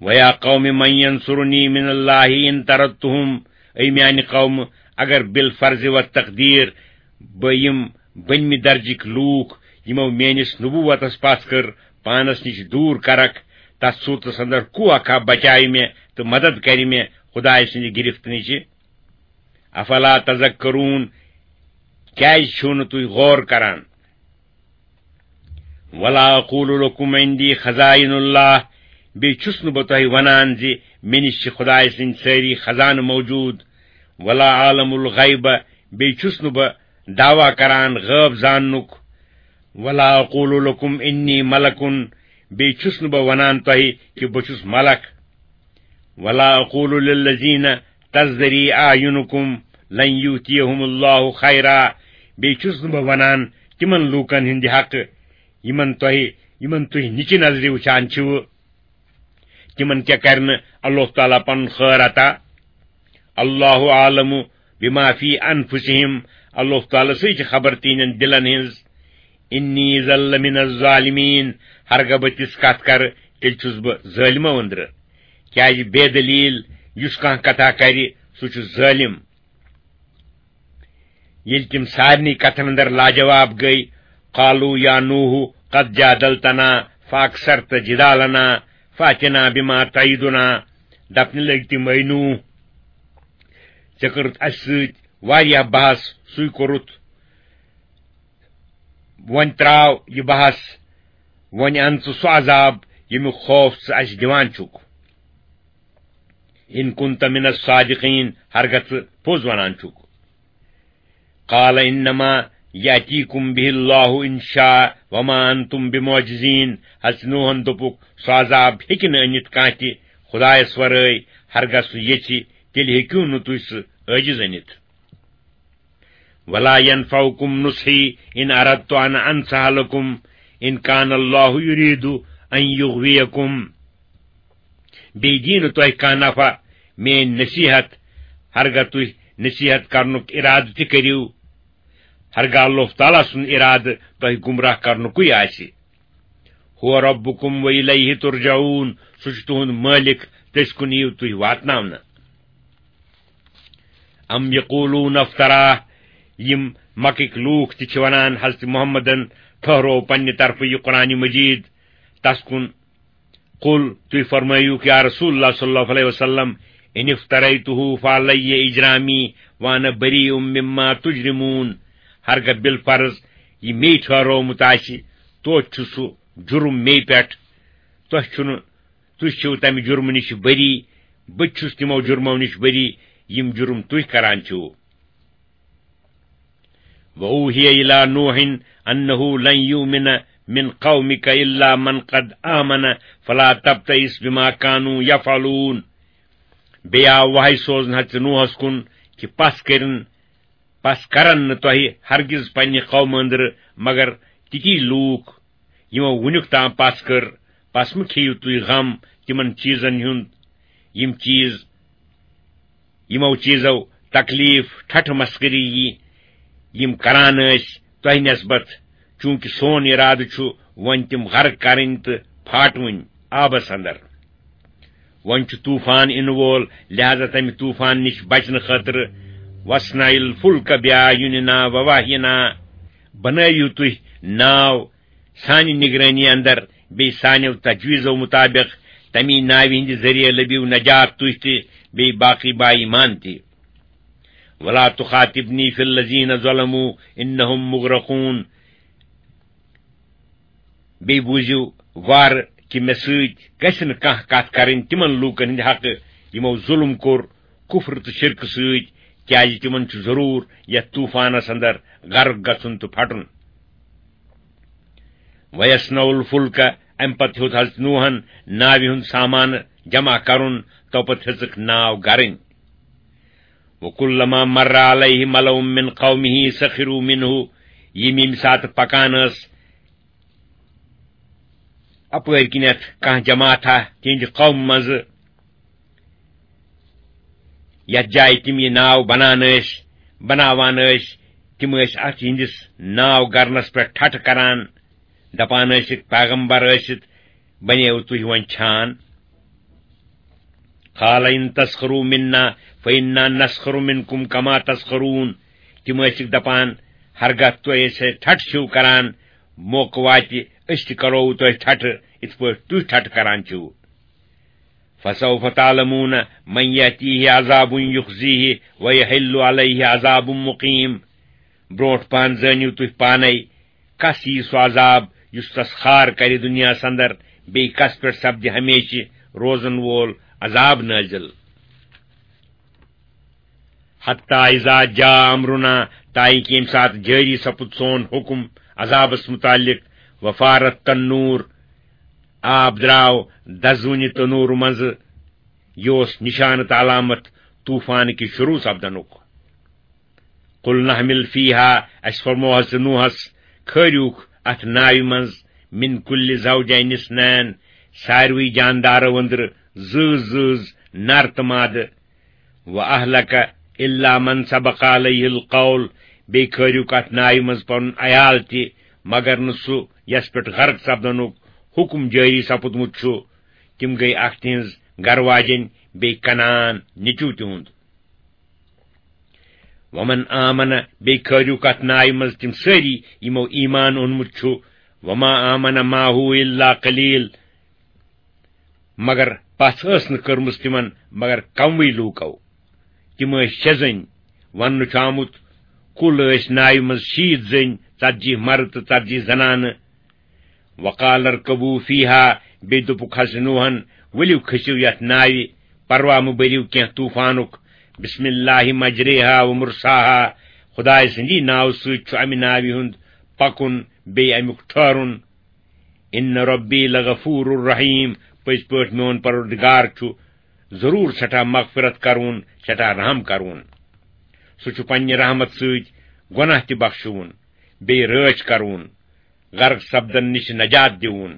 ویا قوم من ینصرنی من اللہ ان طردتہم، اے میانہِ قومہٕ، اگر بالفرض و تقدیر بہٕ یِم بٔنمہِ درجٕکۍ لوٗکھ، یِمو میٲنِس نبوتس پتھ کٔر پانس نِش دوٗر کرکھ، تتھ صورتس اندر کُو اکھا بچاوِ مےٚ تہٕ مدد کرِ مےٚ خدایہِ سٕنٛدِ گرفت نِشہِ؟ افلا تذکرون، کیازِ چھِو نہٕ تُہۍ غور کران؟ ولا اقول لکم عندی خزائن اللہ، بیٚیہِ چھُس نہٕ بہٕ تۄہہِ ونان زِ مےٚ نِش چھِ خدایہِ سٕنٛدۍ سٲری خزانہٕ موجود۔ ولا اعلم الغیب، بیٚیہِ چھُس نہٕ بہٕ دعویٰ کران غٲب زاننُک۔ ولا اقول لکم انی ملکن، بیٚیہِ چھُس نہٕ بہٕ ونان تۄہہِ کہِ بہٕ چھُس ملک۔ ولا اقول للذین تزدری اعینکم لن یؤتیہم اللہ خیرا، بیٚیہِ چھُس نہٕ بہٕ ونان تِمن لوٗکن ہٕنٛدِ حق، یِمن تۄہہِ، یِمن تُہۍ نِچہِ نظرِ وٕچھان چھِو، تِمن کیٛاہ کرِ نہٕ اللہ تعالیٰ پنُن خٲر عطا؟ اللہ عالم بما فی انفسہم، اللہ تعالیٰ سٕے چھِ خبر تِہنٛدٮ۪ن دِلن ہٕنٛز۔ انی اذا لمن الظالمین، ہرگاہ بہٕ تِژھ کتھ کرٕ، تیٚلہِ چھُس بہٕ ظٲلمو أنٛدرٕ۔ کیازِ بے دلیل یُس کانٛہہ کتھا کرِ، سُہ چھُ ظٲلم۔ ییٚلہِ تِم سارنٕے کتھن اندر لاجواب گٔے، قالوا یا نوح قد جادلتنا فاکثرت جدالنا فاتنا بما تعیدنا، دپنہِ لٔگۍ تِم، اے نوح، ژےٚ کٔرٕتھ اسہِ سۭتۍ واریاہ بحث، سُے کوٚرُتھ، وۄنۍ تراو یہِ بحث، وۄنۍ ان ژٕ سُہ عذاب ییٚمیُک خوف ژٕ اسہِ دِوان چھُکھ۔ ان کنت من الصادقین، ہرگاہ ژٕ پوٚز ونان چھُکھ۔ قال انما یاتیکم بہ اللہ ان شاء وما انتم بمعجزین، حضرت نوحن دوٚپُکھ، سُہ عذاب ہیٚکہِ نہٕ أنِتھ کانٛہہ تہِ خدایس ورٲے، ہرگاہ سُہ یژھِ، تیٚلہِ ہیٚکِو نہٕ تُہۍ سُہ عٲجز أنِتھ۔ ولا ينفعكم نصحي إن أردت أن أنصح لكم إن كان الله يريد أن يغويكم۔ بیٚیہِ دی نہٕ تۄہہِ کانٛہہ نفع میٲنۍ نصیحت، ہرگاہ تُہۍ نصیحت کرنُک ارادٕ تہِ کٔرِو، ہرگاہ اللہ تعالیٰ سُنٛد ارادٕ تۄہہِ گمراہ کرنُکُے آسہِ۔ هو ربكم وإليه ترجعون، سُہ چھُ تُہُنٛد مٲلِک، تٔسۍ کُن یِیِو تُہۍ واتناونہٕ۔ ام یقولون افتراه، یِم مکٕکۍ لوٗکھ تہِ چھِ ونان حضرت محمدن ٹھہروو پننہِ طرفہٕ یہِ قرآن مجید تس کُن۔ قل، تُہۍ فرمٲیِو یا رسول اللہ صلی اللہ علیہ وسلم، ان افتریته فعلی اجرامی وانا بریء مما تجرمون، ہرگاہ بالفرض یہِ مے ٹھہرومُت آسہِ، توتہِ چھُ سُہ جُرم مے پٮ۪ٹھ، تۄہہِ چھُنہٕ، تُہۍ چھِو تمہِ جُرمہٕ نِش بری، بہٕ تہِ چھُس تِمو جُرمو نِش بری، یِم جُرم تُہۍ کران چھِو۔ وأوحي إلى نوح أنه لن يؤمن من قومك إلا من قد آمن فلا تبتئس بما كانوا يفعلون۔ بیٚیہِ آو وحی سوزنہٕ حضرت نوحس کُن کہِ پس کٔرِن، پس کرن نہٕ تۄہہِ ہرگز پننہِ قومہٕ أنٛدرٕ مگر تِتی لوٗکھ، یِمو وُنیُک تام پس کٔر، پس مہٕ کھیٚیِو تُہۍ غم تِمن چیٖزن ہُنٛد، یِم چیٖز، یِمو چیٖزو تکلیف، ٹھٹھٕ مسخری یی، یِم کران ٲسۍ تۄہہِ نسبت، چوٗنٛکہِ سون اِرادٕ چھُ وۄنۍ تِم غرق کرٕنۍ تہٕ پھاٹوٕنۍ آبس اندر۔ وۄنۍ چھُ طوفان یِنہٕ وول، لہذا تمہِ طوفان نِش بچنہٕ خٲطرٕ، واصنع الفلک بأعیننا ووحینا، بنٲوِو تُہۍ ناو سانہِ نگرٲنی اندر، بیٚیہِ سانیو تجویزو مطابق، تمی ناوِ ہٕنٛدِ ذٔریعہٕ لٔبِو نجات تُہۍ تہِ، بیٚیہِ باقٕے با ایمان تہِ۔ ولا تخاطبنی فی الذین ظلموا انہم مغرقون۔ بیٚیہِ بوٗزِو وارٕ کہِ مےٚ سۭتۍ گژھِ نہٕ کانٛہہ کتھ کرٕنۍ تِمن لوٗکن ہٕنٛدِ حقہٕ، یِمو ظُلم کوٚر، کُفر تہٕ شرکہٕ سۭتۍ، کیازِ تِمن چھُ ضروٗر یتھ طوفانس اندر غرق گژھُن تہٕ پھٹُن۔ ویصنع الفلک، امہِ پتہٕ ہیوٚت حضرت نوحن ناوِ ہُنٛد سامان جمع کرُن، تو پتہٕ ہیٚژٕکھ ناو گرٕنۍ۔ وکلما مر علیہ ملأ من قومہ سخروا منہ، یِم ییٚمہِ ساتہٕ پکان ٲس اپٲرۍ کِنیتھ کانٛہہ جماعتھا تِہنٛدِ قوم منٛزٕ، یتھ جایہِ تِم یہِ ناو بنان ٲسۍ، بناوان ٲسۍ، تِم ٲسۍ اتھ یِہنٛدِس ناو گرنس پٮ۪ٹھ ٹھٹھٕ کران، دپان ٲسِکھ، پیغمبر ٲسِتھ بنیو تُہۍ وۄنۍ چھان۔ قال ان تسخروا منا فانا نسخر منکم کما تسخرون۔ تِم ٲسِکھ دپان، ہرگاہ تُہۍ أسۍ سۭتۍ ٹھٹھٕ چھِو کران، موقعہٕ واتہِ، أسۍ تہِ کرو تۄہہِ ٹھٹھٕ، یِتھ پٲٹھۍ تُہۍ ٹھٹھٕ کران چھِو۔ فسوف تعلمون من یأتیہ عذاب یخزیہ ویحل علیہ عذاب مقیم۔ برونٹھ پہن زٲنِو تُہۍ پانے، کس یی سُہ عذاب یُس تس خار کرِ دُنیاہس اندر، بیٚیہِ کس پٮ۪ٹھ سپدِ ہمیشہِ روزن وول عذاب نٲزِل۔ حتی اذا جاء امرنا، تاکہ ییٚمہِ ساتہٕ جٲری سپُد سون حکم عذابس متعلق، وفارت تنور، آب درٛاو دزوٕنہِ تنوٗر منٛزٕ، یہِ اوس نشانہٕ تہٕ علامت طوفان کہِ شروع سپدنُک۔ قل نحمل فیہا، اسہِ فرمووہس ژٕ نوحس، کھٲریوکھ اتھ ناوِ منٛز، من کل زوجین اثنین، ساروٕے جاندارو أنٛدرٕ زۭز زۭز، نر تہٕ مادٕ، و اہلک الا من سبق علیہ القول، بیٚیہِ کھٲریوکھ اتھ ناوِ منٛز پنُن عیال تہِ، مگر نہٕ سُہ یس پٮ۪ٹھ غرق سپدنُک حکم جٲری سپُدمُت چھُ۔ تِم گٔیہِ اکھ تِہنٛز گرٕ واجٮ۪ن، بیٚیہِ کنعان نیٚچو تِہُنٛد۔ ومن آمن، بیٚیہِ کھٲریوکھ اتھ ناوِ منٛز تِم سٲری یِمو ایمان اوٚنمُت چھُ۔ وما آمن معه الا قلیل، مگر پژھ ٲس نہٕ کٔرمٕژ تِمن مگر کموٕے لوٗکو۔ تِم ٲسۍ شےٚ زٔنۍ۔ وننہٕ چھُ آمُت، کُل ٲسۍ ناوِ منٛز شیٖتھ زٔنۍ، ژتجی مرد تہٕ ژتجی زنانہٕ۔ وقال ارکبوا فیہا، بیٚیہِ دوٚپُکھ حضرت نوحن، ؤلِو کھٔسِو یتھ ناوِ، پرواہ مہٕ بٔرِو کینٛہہ طوفانُک۔ بسم اللہ مجریہا و مرساہا، خدایہِ سٕنٛدی ناوٕ سۭتۍ چھُ امہِ ناوِ ہُنٛد پکُن بیٚیہِ امیُک ٹھہرُن۔ ان ربی لغفور الرحیم، پٔزۍ پٲٹھۍ میون پروردگار چھُ ضروٗر سٮ۪ٹھاہ مغفرت کرون، سٮ۪ٹھاہ رحم کرون۔ سُہ چھُ پننہِ رحمت سۭتۍ گۄناہ تہِ بخشوُن، بیٚیہِ رٲچھ کرون، غرق سپدن نِش نجات دِوُن۔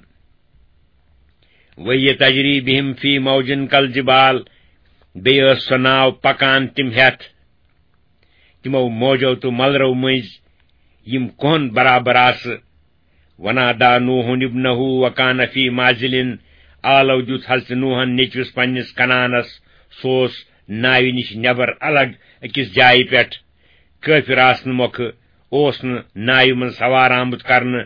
وہی تجری بہم فی موجن کل جبال، بیٚیہِ ٲس سۄ ناو پکان تِم ہٮ۪تھ تِمو موجو تہٕ ملرو مٔنٛزۍ، یِم کوہن برابر آسہٕ۔ ونادى نوح ابنه وكان في معزل، آلو دیُت حضرت نوحن نیٚچوِس پننِس کنعانس، سُہ اوس ناوِ نِش نٮ۪بر الگ أکِس جایہِ پٮ۪ٹھ۔ کٲفِر آسنہٕ مۄکھٕ اوس نہٕ ناوِ منٛز سوار آمُت کرنہٕ۔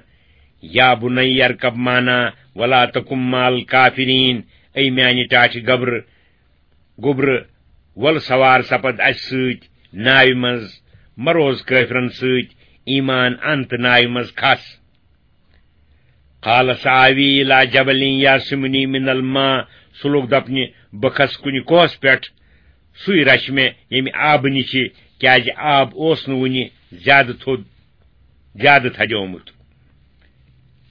يا بني اركب معنا ولا تكن مع الكافرين، اے میانہِ ٹاٹھہِ گبرٕ، گوٚبرٕ، وَل سوار سپد اَسہِ سۭتۍ ناوِ منٛز، مہ روز کٲفرن سۭتۍ، ایمان اَن تہٕ ناوِ منٛز کھس۔ قال سآوی الی جبل یعصمنی من الماء، سُہ لوٚگ دپنہِ، بہٕ کھس کُنہِ کوہس پٮ۪ٹھ، سُے رچھِ مےٚ ییٚمہِ آبہٕ نِشہِ، کیازِ آب اوس نہٕ وُنہِ زیادٕ تھوٚد، زیادٕ تھدیومُت۔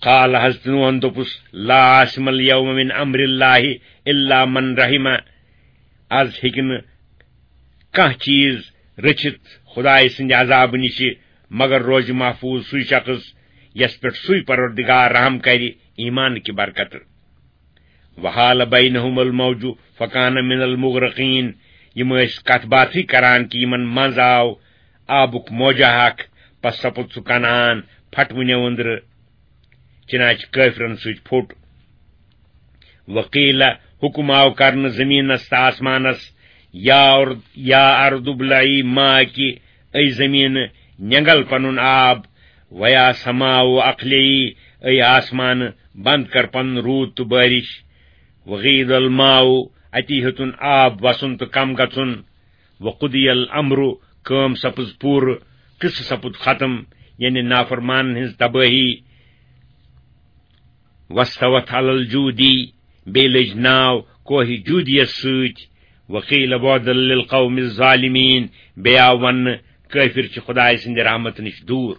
قال، حضرت نوحن دوٚپُس، لا عاصم الیوم من امر اللہ الا من رحم، از ہیٚکہِ نہٕ کانٛہہ چیٖز رٔچھِتھ خدایہِ سٕنٛدِ عذابہٕ نِشہِ مگر روزِ محفوظ سُے شخص یس پٮ۪ٹھ سُے پروردگار رحم کرِ ایمان کہِ برکتہٕ۔ وحال بینہم الموج فکان من المغرقین، یِم ٲسۍ کتھ باتھٕے کران کہِ یِمن منٛز آو آبُک موجہ اکھ، پس سپُد سُہ کنعان پھٹوٕنیو أنٛدرٕ، چنانچہ کٲفرن سۭتۍ پھوٚٹ۔ وقیل، حکم آو کرنہٕ زمینس تہٕ آسمانس، یا ارض، یا ارض ابلعی ماءک، اے زمین، نینگل پنُن آب، ویا سماء اقلعی، اے آسمان، بند کر پنُن روٗد تہٕ بارش۔ وغیض الماء، اتی ہیوٚتُن آب وسُن تہٕ کم گژھُن۔ وقضی الامر، کٲم سپٕز پوٗرٕ، قصہٕ سپُد ختم، یعنی نافرمانن ہٕنٛز تبٲہی۔ واستوت علی الجودی، بیٚیہِ لٔج ناو کوہہِ جودیس سۭتۍ۔ وقیل بعدا للقوم الظالمین، بیٚیہِ آو وننہٕ، کٲفر چھِ خدایہِ سٕنٛدِ رحمتہٕ نِش دوٗر۔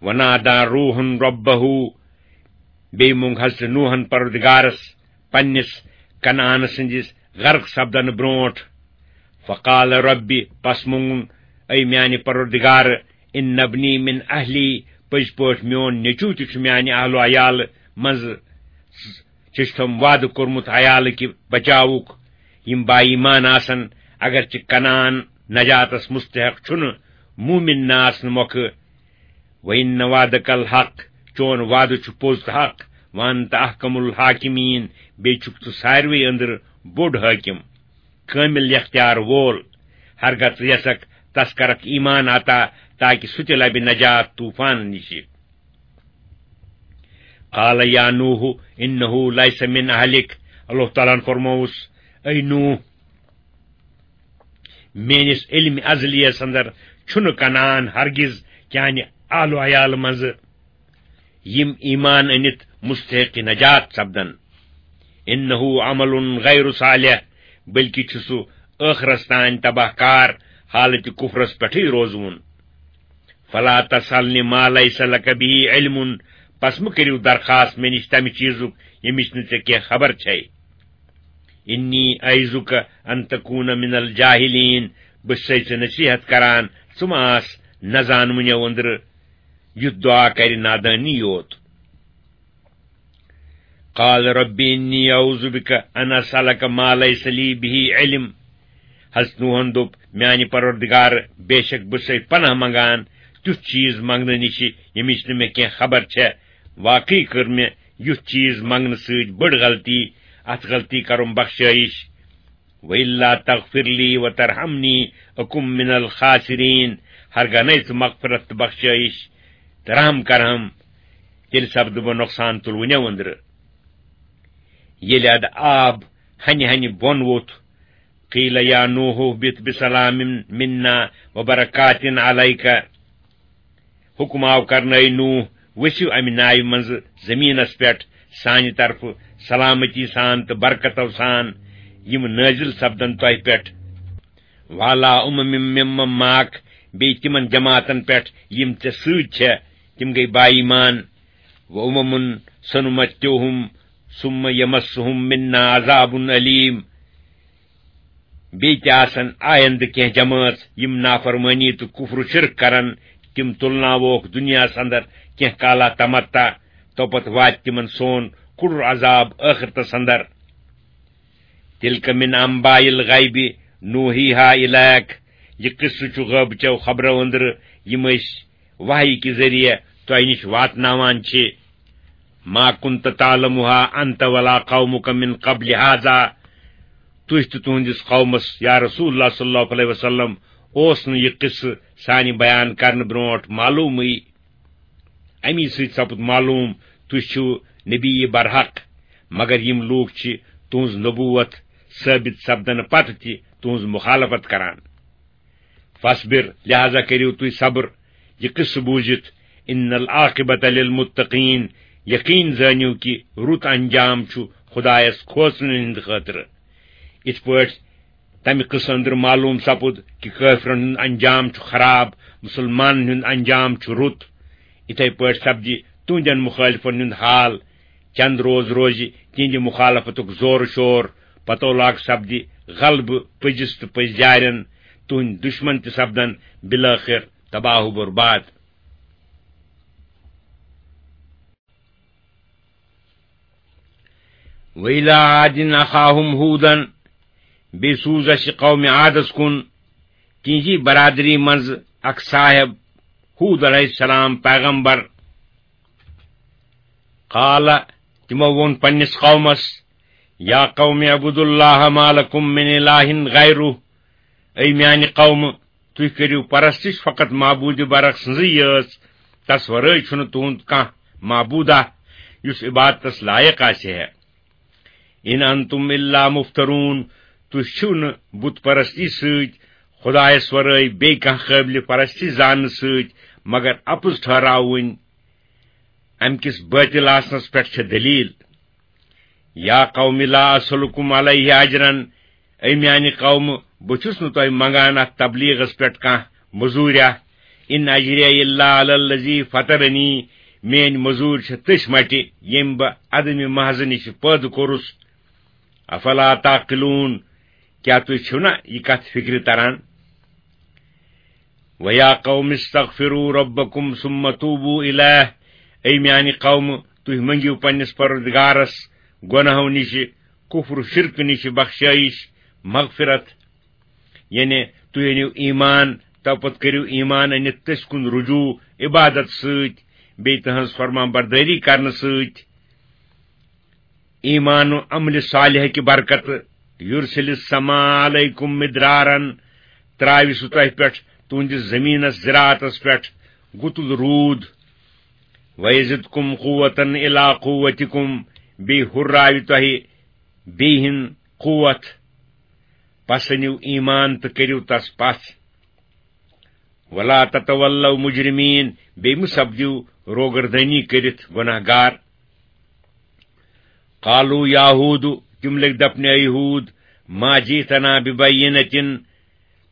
ونادى روح ربه، بیٚیہِ مونگ حضرت نوحن پروردگارس پننِس کنعان سٕنٛدِس غرق سپدنہٕ برونٹھ۔ فقال ربی، پس مونگُن، اے میانہِ پروردگار، ان ابنی من اہلی، پٔزۍ پٲٹھۍ میون نیٚچو تہِ چھُ میانہِ اہل و عیالہٕ منٛزٕ۔ چھُس تٔمۍ وعدٕ کوٚرمُت عیالہٕ کہِ بچاوُک۔ یِم با ایمان آسن، اگرچہِ کنعان نجاتس مستحق چھُنہٕ، مومن نہ آسنہٕ مۄکھٕ۔ وَإِنَّ وَعْدَكَ الْحَقُّ، چون وعدٕ چھُ پوٚز تہٕ حق۔ وَأَنْتَ أَحْكَمُ الْحَاكِمِينَ، بیٚیہِ چھُکھ ژٕ ساروٕے أنٛدرٕ بوٚڑ حٲکِم، کٲمِل اختیار وول۔ ہرگاہ ژٕ یژھکھ، تس کرکھ ایمان عطا، تاکہ سُہ تہِ لبہِ نجات طوفان نِشہِ۔ قال یا نوح انہ لیس من اہلک، اللہ تعالیٰ ہن فرمووُس، اے نوح، میٲنِس علم ازلیس اندر چھُنہٕ کنعان ہرگز چانہِ اہل و عیال منٛزٕ، یِم ایمان أنِتھ مستحق نجات سپدن۔ انہ عمل غیر صالح، بلکہ چھُ سُہ ٲخرس تام تباہ کار، حالت کفرس پٮ۪ٹھٕے روزوُن۔ فلا تسألنی ما لیس لک به علم، پس مہ کٔرِو درخواست مےٚ نِش تمہِ چیزُک ییٚمِچ نہٕ ژےٚ کینٛہہ خبر چھے۔ انی اعیذک ان تکون من الجاہلین، بہٕ چھُسے ژےٚ نصیحت کران، ژٕ مہ آس نہ زانوٕنیو أنٛدرٕ، یُتھ دعا کرِ نادٲنی یوت۔ قال رب انی اعوذ بک ان اسألک ما لیس لی به علم۔ حضرت نوحن دوٚپ، میانہِ پروردگار، بے شک بہٕ چھُسے پناہ منگان تیُتھ چیز منگنہٕ نِشہِ ییٚمِچ نہٕ مےٚ کینٛہہ خبر چھےٚ۔ واقعی کٔر مےٚ یُتھ چیز منگنہٕ سۭتۍ بٔڑ غلطی، اتھ غلطی کرُم بخشٲیش۔ وَإِلَّا تَغْفِرْ لِي وَتَرْحَمْنِي أَكُنْ مِنَ الْخَاسِرِينَ، ہرگاہ نَے ژٕ مغفرت تہٕ بخشٲیش تہٕ رحم کرہم، تیٚلہِ سپدٕ بہٕ نۄقصان تُلوٕنیو أنٛدرٕ۔ ییٚلہِ ادٕ آب ہنہِ ہنہِ بۄن ووٚتھ، قیل یا نوح اهبط بسلام منا وبرکات علیک۔ حکم آو کرنہٕ، اے نوح، ؤسِو امہِ ناوِ منٛزٕ زٔمیٖنس پٮ۪ٹھ سانہِ طرفہٕ سلامتی سان تہٕ برکتو سان، یِم نٲزِل سپدن تۄہہِ پٮ۪ٹھ۔ وعلی امم ممن معک، بیٚیہِ تِمن جماعتن پٮ۪ٹھ یِم ژےٚ سۭتۍ چھےٚ، تِم گٔے با ایمان۔ و امم سنمتعهم ثم یمسهم منا عذاب الیم۔ بیٚیہِ تہِ آسن آیندٕ کینٛہہ جمٲژ، یِم نافرمٲنی تہٕ کفر و شرک کرن، تِم تُلناووکھ دُنیاہس اندر کینٛہہ کالا تمتع، توپتہٕ واتہِ تِمن سون کُڑُر عذاب ٲخرتس اندر۔ تلک من انباء الغیب نوحیها الیک، یہِ قصہٕ چھُ غٲبہٕ چٮ۪و خبرو أنٛدرٕ، یِم أسۍ وحی کہِ ذٔریعہٕ تۄہہِ نِش واتناوان چھِ۔ ما کنت تعلمها انت ولا قومک من قبل هذا، تُہۍ تہٕ تُہنٛدِس قومس، یا رسول اللہ صلی اللہ علیہ وسلم، اوس نہٕ یہِ قصہٕ سانہِ بیان کرنہٕ برونٛٹھ معلومٕے۔ امی سۭتۍ سپُد معلوم، تُہۍ چھِو نبی برحق، مگر یِم لوٗکھ چھِ تُہنٛز نبوت ثٲبت سپدنہٕ پتہٕ تہِ تُہنٛز مخالفت کران۔ فاصبر، لہذا کٔرِو تُہۍ صبر، یہِ قصہٕ بوٗزِتھ۔ ان العاقبۃ للمتقین، یقین زٲنِو کہِ رُت انجام چھُ خدایس کھوژنہٕ ہٕنٛدِ خٲطرٕ۔ یِتھ پٲٹھۍ تمہِ قصہٕ أنٛدرٕ معلوم سپُد کہِ کٲفرن ہُنٛد انجام چھُ خراب، مُسلمانن ہُنٛد انجام چھُ رُت، یِتھے پٲٹھۍ سپدِ تُہنٛدٮ۪ن مخٲلفن ہُنٛد حال۔ چند روز روزِ تِہنٛدِ مخالفتُک زور شور، پتو لاگ سپدِ غلبہٕ پٔزِس تہٕ پٔزۍ جارٮ۪ن، تُہنٛدۍ دُشمن تہِ سپدن بالٲخر تباہ و برباد۔ وَإِلَىٰ عَادٍ أَخَاهُمْ هُودًا، بیٚیہِ سوٗز اَسہِ قومِ عادس کُن تِہنٛزی برادری منٛز اکھ صاحب، ہوٗد علیہ السلام پیغمبر۔ قال، تِمو ووٚن پننِس قومس، یا قوم اعبدوا اللہ ما لکم من الہ غیرہ، اے میانہِ قومہٕ، تُہۍ کٔرِو پرستش فقط معبوٗدِ برحق سٕنٛزٕے یٲژ، تس ورٲے چھُنہٕ تُہُنٛد کانٛہہ معبوٗدہ یُس عبادتس لایق آسہِ ہے۔ ان انتم الا مفترون، تُہۍ چھِو نہٕ بت پرستی سۭتۍ خدایس ورٲے بیٚیہِ کانٛہہ قٲبلِ پرستی زاننہٕ سۭتۍ مگر اپُز ٹھہراوٕنۍ۔ امہِ کِس بٲطِل آسنس پٮ۪ٹھ چھےٚ دٔلیٖل۔ یا قوم لا اسلکم علیہ اجرا، اے میانہِ قومہٕ، بہٕ چھُس نہٕ تۄہہِ منگان اتھ تبلیغس پٮ۪ٹھ کانٛہہ مٔزوٗریا۔ ان اجریہ الا علی الذی فطرنی، میٲنۍ مٔزوٗرۍ چھےٚ تٔسۍ مٹہِ، ییٚمۍ بہٕ عدمِ محض نِش پٲدٕ کوٚرُس۔ افلا تعقلون، کیٛاہ تُہۍ چھِو نا یہِ کتھ فکرِ تران؟ وَيَا قَوْمِ اسْتَغْفِرُوا رَبَّكُمْ ثُمَّ تُوبُوا إِلَيْهِ، اے میانہِ قومہٕ، تُہۍ مٔنگِو پننِس پروردگارس گۄناہو نِشہِ، کفر و شرک نِشہِ بخشٲیش، مغفرت۔ یعنی تُہۍ أنِو ایمان، تو پتہٕ کٔرِو ایمان أنِتھ تٔسۍ کُن رجوع عبادت سۭتۍ، بیٚیہِ تٕہنٛز فرمان بردٲری کرنہٕ سۭتۍ۔ ایمان و عمل صالح کہِ برکتہٕ، یُرسِل السماء علیکم مدرارن، ترٛاوِ سُہ تۄہہِ پٮ۪ٹھ تُہنٛدِس زٔمیٖنَس زِراعتَس پٮ۪ٹھ گُتُل روٗد۔ وَیَزِدْکُمْ قُوَّةً إِلَىٰ قُوَّتِکُمْ، بیٚیہِ ہُرراوِ تۄہہِ بیٚیہِ ہِن قوت۔ پس أنِو ایمان تہٕ کٔرِو تس پژھ۔ وَلَا تَتَوَلَّوْا مُجْرِمِینَ، بیٚیہِ مہٕ سپدِو روگردٲنی کٔرِتھ گۄناہ گار۔ قَالُوا يَا هُودُ، تِم لٔگۍ دپنہِ، اے ہوٗد، مَا جِئْتَنَا بِبَیِّنَةٍ،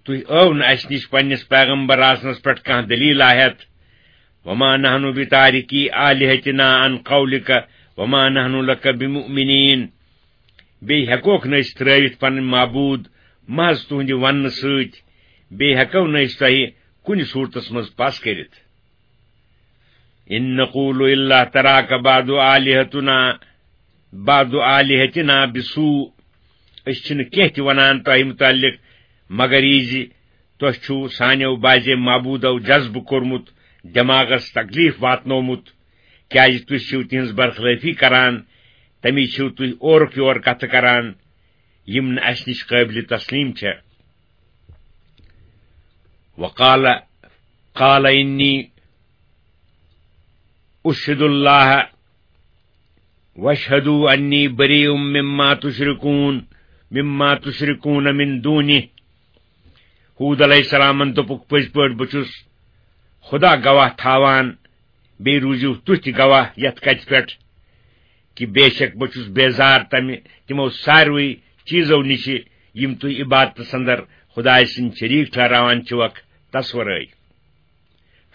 تُہۍ ٲو نہٕ اسہِ نِش پننِس پیغمبر آسنس پٮ۪ٹھ کانٛہہ دلیٖل ہٮ۪تھ۔ وَمَا نَحْنُ بِتَارِكِي آلِهَتِنَا عَنْ قَوْلِكَ وَمَا نَحْنُ لَكَ بِمُؤْمِنِينَ۔ بیٚیہِ ہٮ۪کوکھ نہٕ أسۍ ترٲوِتھ پنٕنۍ معبوٗد محض تُہنٛدِ وننہٕ سۭتۍ، بیٚیہِ ہٮ۪کو نہٕ أسۍ تۄہہِ کُنہِ صوٗرتس منٛز پس کٔرِتھ۔ إِن نَقُولُ إِلَّا اعْتَرَاكَ بَعْضُ آلِهَتُنَا، بَعْضُ آلِهَتِنَا بِسُوءٍ، أسۍ چھِنہٕ کینٛہہ تہِ ونان تۄہہِ مُتعلق مگر یہِ زِ تۄہہِ چھُو سانیو بعضے معبوٗدو جذبہٕ کوٚرمُت، دٮ۪ماغس تکلیف واتنومُت، کیازِ تُہۍ چھِو تِہنٛز برخلٲفی کران، تمی چھِو تُہۍ اورُک یور کتھٕ کران، یِم نہٕ اسہِ نِش قٲبلِ تسلیٖم چھےٚ۔ وَقَالَ، قَالَ إِنِّي أُشْهِدُ اللَّهَ وَاشْهَدُوا أَنِّي بَرِيءٌ مِّمَّا تُشْرِكُونَ، مِّمَّا تُشْرِكُونَ مِن دُونِهِ۔ ہوٗد علیہ السلامن دوٚپُکھ، پٔزۍ پٲٹھۍ بہٕ چھُس خدا گواہ تھاوان، بیٚیہِ روٗزِو تُہۍ تہِ گواہ یتھ کتھِ پٮ۪ٹھ کہِ بے شک بہٕ چھُس بیزار تمہِ، تِمو ساروٕے چیٖزو نِشہِ یِم تُہۍ عبادتس اندر خدایہِ سٕنٛدۍ شریٖک ٹھہراوان چھِوکھ، تس ورٲے۔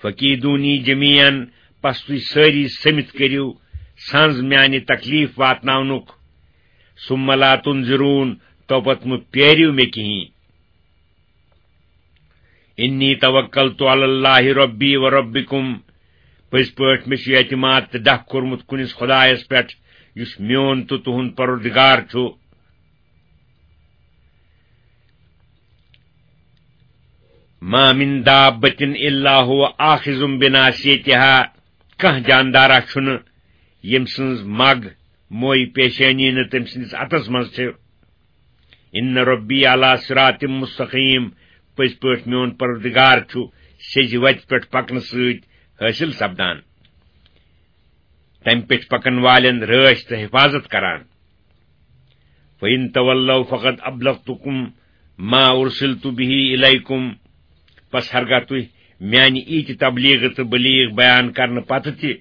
فَكِيدُونِي جَمِيعًا، پس تُہۍ سٲری سٔمِتھ کٔرِو سنز میانہِ تکلیف واتناونُک۔ ثُمَّ لَا تُنظِرُونِ، تو پتہٕ مہٕ پیٲرِو مےٚ کِہیٖنۍ۔ إِنِّي تَوَكَّلْتُ عَلَى اللَّهِ رَبِّي وَرَبِّكُمْ، پٔزۍ پٲٹھۍ مےٚ چھُ اعتماد تہٕ ڈکھ کوٚرمُت کُنِس خدایس پٮ۪ٹھ یُس میون تہٕ تُہُنٛد پروردگار چھُ۔ مَا مِن دَابَّةٍ إِلَّا هُوَ آخِذٌ بِنَاصِيَتِهَا، کانٛہہ جاندارا چھُنہٕ ییٚمۍ سٕنٛز مگ موے پیشٲنی نہٕ تٔمۍ سٕنٛدِس اَتھس منٛز چھِ۔ إِنَّ رَبِّي عَلَىٰ صِرَاطٍ مُسْتَقِيمٍ، پٔزۍ پٲٹھۍ میون پروردگار چھُ سیٚزِ وتہِ پٮ۪ٹھ پکنہٕ سۭتۍ حٲصِل سپدان، تمہِ پٮ۪ٹھ پکن والٮ۪ن رٲچھ تہٕ حفاظت کران۔ فَإِن تَوَلَّوْا فَقَدْ أَبْلَغْتُكُمْ مَا أُرْسِلْتُ بِهِ إِلَيْكُمْ، پس ہرگاہ تُہۍ میانہِ ییٖتِ تبلیغ تہٕ بلیغ بیان کرنہٕ پتہٕ تہِ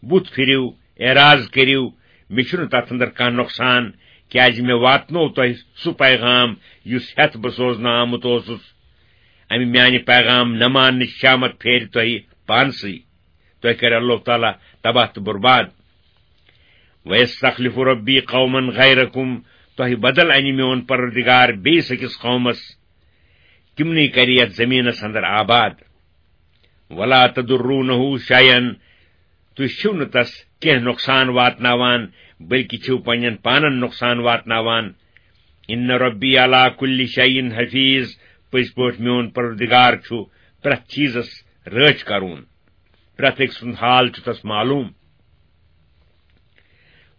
بُتھ پھِرِو، اعراض کٔرِو، مےٚ چھُنہٕ تتھ اندر کانٛہہ نۄقصان، کیازِ مےٚ واتنوو تۄہہِ سُہ پیغام یُس ہٮ۪تھ بہٕ سوزنہٕ آمُت اوسُس۔ امہِ میانہِ پیغام نہ ماننٕچ شامت پھیرِ تۄہہِ پانسٕے۔ تۄہہِ کرِ اللہ تعالیٰ تباہ تہٕ برباد۔ وَيَسْتَخْلِفُ رَبِّي قَوْمًا غَيْرَكُمْ، تۄہہِ بدل انہِ میون پروردگار بیٚیِس أکِس قومس، تِمنٕے کرِ یتھ زمینس اندر آباد۔ وَلَا تَضُرُّونَهُ شَيْئًا، تُہۍ چھِو نہٕ تس کینٛہہ نۄقصان واتناوان، بلکہِ چھِو پننٮ۪ن پانن نۄقصان واتناوان۔ إِنَّ رَبِّي عَلَىٰ كُلِّ شَيْءٍ حَفِيظٌ، پٔزۍ پٲٹھۍ میون پروردگار چھُ پرٛٮ۪تھ چیٖزس رٲچھ کرون۔ پرٛٮ۪تھ أکۍ سُنٛد حال چھُ تس معلوٗم۔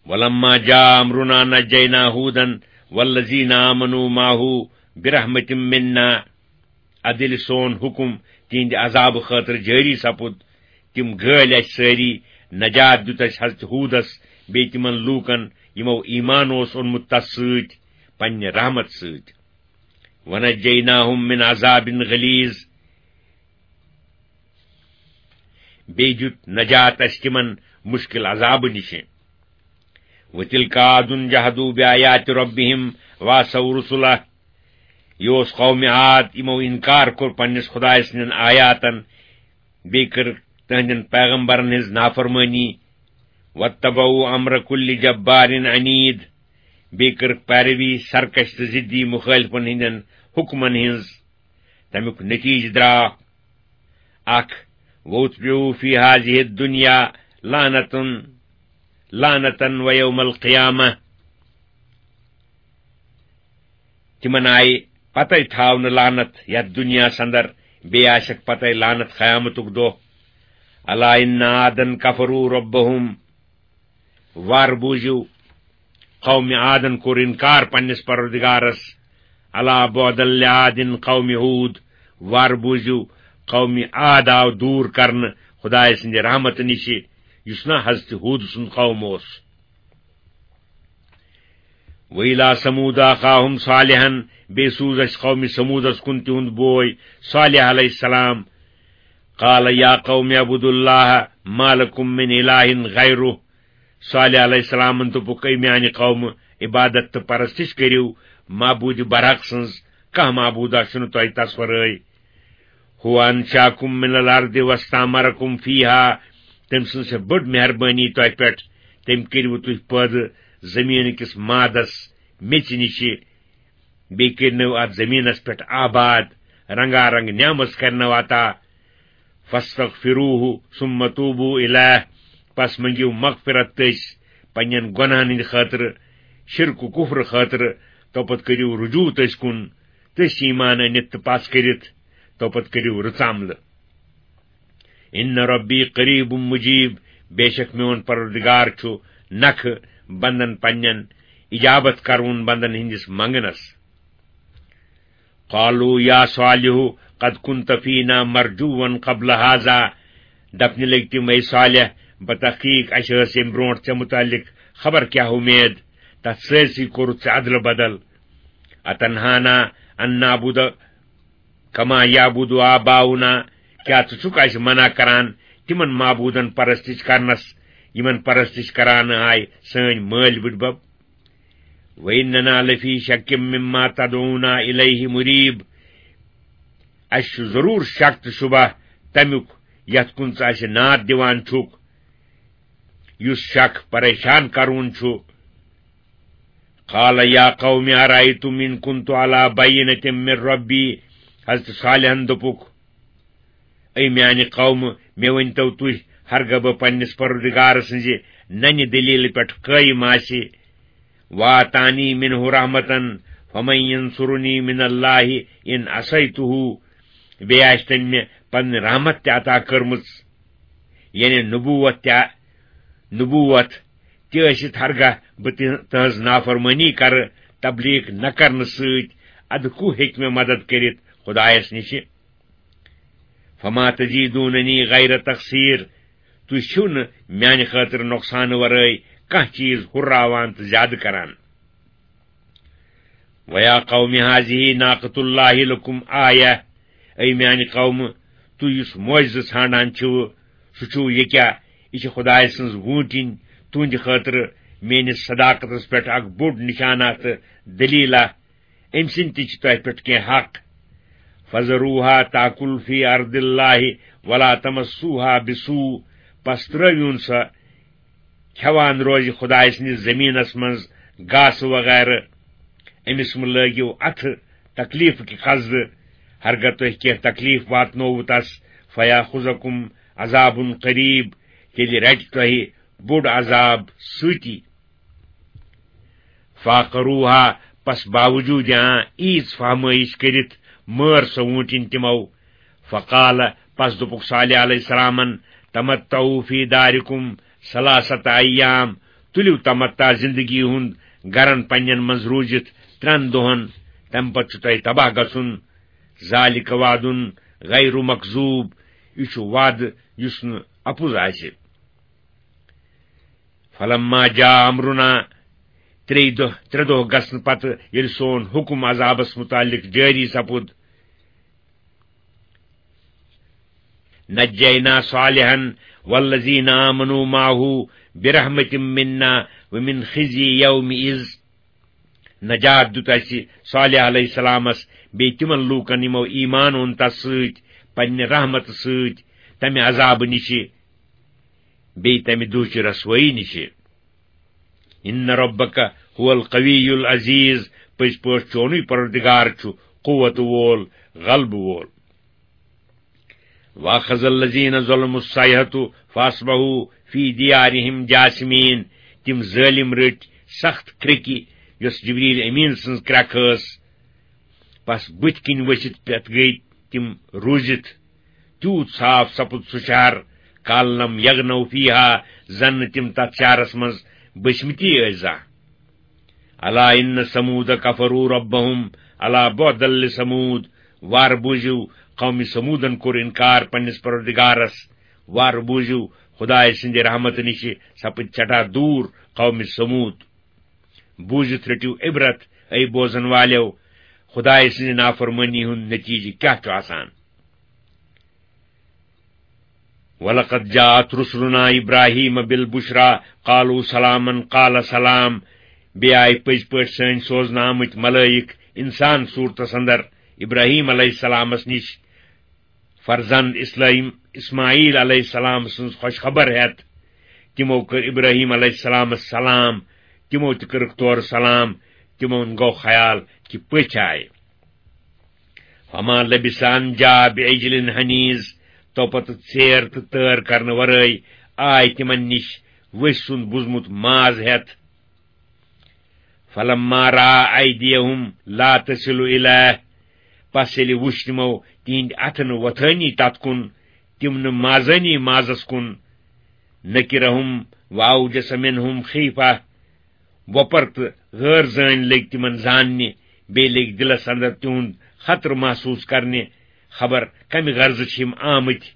وَلَمَّا جَاءَ أَمْرُنَا نَجَّيْنَا هُودًا وَالَّذِينَ آمَنُوا مَعَهُ بِرَحْمَةٍ مِنَّا۔ ادٕ ییٚلہِ سون حُکُم تِہنٛدِ عذابہٕ خٲطرٕ جٲری سپُد، تِم گٲلۍ اسہِ سٲری، نجات دیُت اسہِ حضرت ہوٗدس بیٚیہِ تِمن لوٗکن، یِمو ایمان اوس اوٚنمُت تس سۭتۍ، پننہِ رحمت سۭتۍ۔ وَنَجَّيْنَاهُمْ مِنْ عَذَابٍ غَلِيظٍ، بیٚیہِ دیُت نجات اسہِ تِمن مُشکِل عذابہٕ نِشہِ۔ وَتِلْكَ عَادٌ جَحَدُوا بِآيَاتِ رَبِّهِمْ وَعَصَوْا رُسُلَهُ، یہِ اوس قومِ عاد، یِمو اِنکار کوٚر پننِس خدایہِ سٕنٛدٮ۪ن آیاتن، بیٚیہِ کٔرٕکھ تِہنٛدٮ۪ن پیغمبرن ہٕنٛز نافرمٲنی۔ وَاتَّبَعُوا أَمْرَ كُلِّ جَبَّارٍ عَنِيدٍ، بیٚیہِ کٔرٕکھ پیروی سرکش تہٕ ضدی مُخٲلفن ہٕنٛدٮ۪ن حُکمن ہٕنٛز۔ تَمیُک نتیٖجہٕ درٛاو اکھ، وَأُتْبِعُوا فِي هَٰذِهِ الدُّنْيَا لَعْنَةً، لَعْنَةً وَيَوْمَ الْقِيَامَةِ۔ تِمن آیہِ پتے تھاونہٕ لعنت یتھ دُنیاہس اندر، بیٚیہِ آسٮ۪کھ پتے لعنت قیامتُک دۄہ۔ أَلَا إِنَّ عَادًا كَفَرُوا رَبَّهُمْ، وار بوٗزِو، قومِ عادن کوٚر اِنکار پننِس پروردگارس۔ أَلَا بُعْدًا لِعَادٍ قَوْمِ هُودٍ، وار بوٗزِو، قومِ عاد آو دوٗر کرنہٕ خدایہِ سٕنٛدِ رحمتہٕ نِشہِ، یُس نہ حضرت ہود سُنٛد قوم اوس۔ وَإِلَىٰ ثَمُودَ أَخَاهُمْ صَالِحًا، بیٚیہِ سوٗز اَسہِ قومِ ثمودس کُن تِہُنٛد بوے صالح علیہ السلام۔ قَالَ يَا قَوْمِ اعْبُدُوا اللَّهَ مَا لَكُمْ مِنْ إِلَٰهٍ غَيْرُهُ۔ صالح علیہ السلامن دوٚپُکھ، اے میانہِ قومہٕ، عبادت تہٕ پرستش کٔرِو معبوٗدِ برحق سٕنٛز، کانٛہہ معبوٗدا چھُنہٕ تۄہہِ تس ورٲے۔ هُوَ أَنشَأَكُم مِّنَ الْأَرْضِ وَاسْتَعْمَرَكُم فِيهَا، تٔمۍ سٕنٛز چھےٚ بٔڑ مہربٲنی تۄہہِ پٮ۪ٹھ، تٔمۍ کٔرِوٕ تُہۍ پٲدٕ زٔمیٖن کِس مادس میٚژِ نِشہِ، بیٚیہِ کٔرنو اتھ زٔمیٖنس پٮ۪ٹھ آباد، رنگا رنگ نعمژ کرنو عطا۔ فَاسْتَغْفِرُوهُ ثُمَّ تُوبُوا إِلَيْهِ، پس منگِو مغفرت تٔسۍ پننٮ۪ن گۄناہن ہٕنٛدِ خٲطرٕ، شرک و کفر خٲطرٕ، توپتہٕ کٔرِو رجوع تٔسۍ کُن، تٔسۍ ایمان أنِتھ تہٕ پس کٔرِتھ، توپتہٕ کٔرِو رٕژ عملہٕ۔ اِنَّ رَبِّي قَرِيبٌ مُجِيبٌ، بے شک میون پروردگار چھُ نکھٕ بندن پننٮ۪ن، اجابت کرون بندن ہٕنٛدِس منگنس۔ قَالُوا يَا صَالِحُ قَدْ كُنْتَ فِينَا مَرْجُوًّا قَبْلَ هَٰذَا، دپنہِ لٔگۍ تِم، اے صالح، بتحقیق اسہِ ٲس ییٚمہِ برونٹھ ژےٚ متعلق خبر کیاہ اُمید، تتھ سٲرسٕے کوٚرُتھ ژےٚ ادلہٕ بدل۔ أَتَنْهَانَا أَن نَّعْبُدَ كَمَا يَعْبُدُ آبَاؤُنَا، کیٛاہ ژٕ چھُکھ اَسہِ منع کران تِمن معبوٗدن پرستش کرنس، یِمن پرستش کران آے سٲنۍ مٲلۍ بٕڈبب؟ وَإِنَّنَا لَفِي شَكٍّ مِّمَّا تَدْعُونَا إِلَيْهِ مُرِيبٌ، اَسہِ چھُ ضروٗر شک تہٕ شبہ تمیُک یتھ کُن ژٕ اَسہِ ناد دِوان چھُکھ، یُس شک پریشان کرون چھُ۔ قَالَ يَا قَوْمِ أَرَأَيْتُمْ إِن كُنتُ عَلَىٰ بَيِّنَةٍ مِّن رَّبِّي، حضرت صالحن دوٚپُکھ، اے میانہِ قومہٕ، مےٚ ؤنۍتو تُہۍ، ہرگاہ بہٕ پننِس پروردگار سٕنزِ ننہِ دلیلہِ پٮ۪ٹھ قٲیِم آسہِ، وَآتَانِی مِنْهُ رَحْمَةً فَمَنْ يَنْصُرُنِی مِنَ اللَّهِ إِنْ عَصَیْتُهُ، بیٚیہِ آسہِ تٔمۍ مےٚ پنٕنۍ رحمت تہِ عطا کٔرمٕژ، یعنی نبوت تہِ، نبوت تہِ ٲسِتھ، ہرگاہ بہٕ تہِ-، تٕہٕنٛز نافرمٲنی کرٕ تبلیغ نہ کرنہٕ سۭتۍ، ادٕ کُو ہیٚکہِ مےٚ مدد کٔرِتھ خدایس نِشہِ؟ فَمَا تَزِیدُونَنِی غَیْرَ تَخْسِیرٍ، تُہۍ چھِو نہٕ میانہِ خٲطرٕ نۄقصانہٕ ورٲے کانٛہہ چیٖز ہُرراوان تہٕ زیادٕ کران۔ وَيَا قَوْمِ هَٰذِهِ نَاقَةُ اللَّهِ لَكُمْ آیَةً، اے میانہِ قومہٕ، تُہۍ یُس معجزٕ ژھانڈان چھِو، سُہ چھُو یہِ کیٛاہ؟ یہِ چھِ خدایہِ سٕنٛز ووٗنٛٹِنۍ، تُہنٛدِ خٲطرٕ میٲنِس صداقتس پٮ۪ٹھ اکھ بوٚڑ نشانہ تہٕ دلیلہ۔ أمۍ سٕنٛدۍ تہِ چھِ تۄہہِ پٮ۪ٹھ کینٛہہ حق۔ فَذَرُوهَا تَأْكُلْ فِي أَرْضِ اللَّهِ وَلَا تَمَسُّوهَا بِسُوءٍ، پس ترٲوِوُن سۄ کھٮ۪وان روزِ خدایہِ سٕنٛدِس زٔمیٖنس منٛز گاسہٕ وغیرہ۔ أمِس مہٕ لٲگِو اَتھٕ تکلیٖفہٕ کہِ قصدٕ، ہرگاہ تۄہہِ کینٛہہ تکلیٖف واتنووٕ تس، فَیَأْخُذَکُمْ عَذَابٌ قَریٖب، تیٚلہِ رٹہِ تۄہہِ بوٚڑ عذاب سۭتی۔ فَعَقَرُوهَا، پس باوجود یان عیٖژ فہمٲیش کٔرِتھ مٲر سۄ ووٗنٛٹِنۍ تِمو۔ فَقَالَ، پس دوٚپُکھ صالح علیہ السلامن، تَمَتَّعُوا فِی دَارِکُمْ ثَلَاثَةَ أَیَّامٍ، تُلِو تمتع زندگی ہُنٛد گرن پننٮ۪ن منٛز روٗزِتھ ترٛٮ۪ن دۄہن، تمہِ پتہٕ چھُ تۄہہِ تباہ گژھُن۔ ذَٰلِکَ وَعْدٌ غَیْرُ مَکْذُوبٍ، یہِ چھُ وعدٕ یُس نہٕ اپُز آسہِ۔ فَلَمَّا جَاءَ أَمْرُنَا، ترٛیٚیہِ دۄہ، ترٛےٚ دۄہ گژھنہٕ پتہٕ ییٚلہِ سون حُکُم عذابس مُتعلق جٲری سپُد، نَجَّیْنَا صَالِحًا وَالَّذِینَ آمَنُوا مَعَهُ بِرَحْمَةٍ مِنَّا وَمِنْ خِزْیِ یَوْمِئِذٍ، نجات دیُت اَسہِ صالح علیہ السلامس بیٚیہِ تِمن لوٗکن، یِمو ایمان اوٚن تس سۭتۍ، پننہِ رحمتہٕ سۭتۍ، تمہِ عذابہٕ نِشہِ، بیٚیہِ تمہِ دُہچہِ رسوٲیی نِشہِ۔ اِنَّ رَبَّکَ هُوَ الْقَوِیُّ الْعَزِیٖز، پٔزۍ پٲٹھۍ چونُے پروردگار چھُ قوت وول، غلبہٕ وول۔ وَأَخَذَ الَّذِینَ ظَلَمُوا الصَّیحَةُ فَأَصْبَحُوا فِی دِیارِهِمْ جَاثِمِینَ، تِم ظٲلِم رٔٹۍ سخت کرٛیٚکہِ، یۄس جبریل امیٖن سٕنٛز کرٛٮ۪کھ ٲس۔ پس بٕتھِ کِنۍ ؤسِتھ پٮ۪تھ گٔیہِ تِم روٗزِتھ۔ تیوٗت صاف سپُد سُہ شہر، کَأَن لَّمْ یَغْنَوْا فِیہا، زَن نہٕ تِم تَتھ شہرس منٛز بٔسمٕتی ٲسۍ زانٛہہ۔ أَلَا إِنَّ ثَمُودَ کَفَرُوا رَبَّهُمْ، أَلَا بُعْدًا لِّثَمُودَ، وارٕ بوٗزِو، قومِ ثمودن کوٚر انکار پننِس پروردگارس۔ وارٕ بوٗزِو، خدایہِ سٕنٛدِ رحمتہٕ نِشہِ سپٕدۍ سٮ۪ٹھاہ دوٗر قومِ ثمود۔ بوٗزِتھ رٔٹِو عبرت، اے بوزن والٮ۪و، خدایہِ سٕنٛزِ نافرمٲنی ہُنٛد نتیٖجہٕ کیٛاہ چھُ آسان۔ وَلَقَدْ جَاءَتْ رُسُلُنَا إِبْرَاهِيمَ بِالْبُشْرَىٰ قَالُوا سَلَامًا قَالَ سَلَامٌ۔ بیٚیہِ آیہِ پٔزۍ پٲٹھۍ سٲنۍ سوزنہٕ آمٕتۍ ملٲیِک اِنسان صوٗرتس اندر ابراہیم علیہ السلامس نِش، فرزند اسلام اسماعیل علیہ السلام سٕنٛز خوش خبر ہٮ۪تھ۔ تِمو کٔر ابراہیم علیہ السلامس سلام، تِمو تہِ کٔرٕکھ تورٕ سلام۔ تِمن گوٚو خیال کہِ پٔژھۍ آیہِ۔ فما لبث أن جاء بعجل حنیذ، تو پتہٕ ژیر تہٕ تٲر کرنہٕ ورٲے آے تِمن نِش ؤسۍ سُنٛد بُزمُت ماز ہٮ۪تھ۔ فلما رأى أيديهم لا تصل إليه، پس ییٚلہِ وُچھ تِمو تِہنٛدۍ اَتھٕ نہٕ وۄتھٲنی تتھ کُن، تِم نہٕ مازٲنی مازس کُن، نکرهم وأوجس منهم خيفة، وۄپر تہٕ غٲر زٲنۍ لٔگۍ تِمن زاننہِ، بیٚیہِ لٔگۍ دِلس اندر تِہُنٛد خطرٕ محسوٗس کرنہِ، خبر کمہِ غرضہٕ چھِ یِم آمٕتۍ۔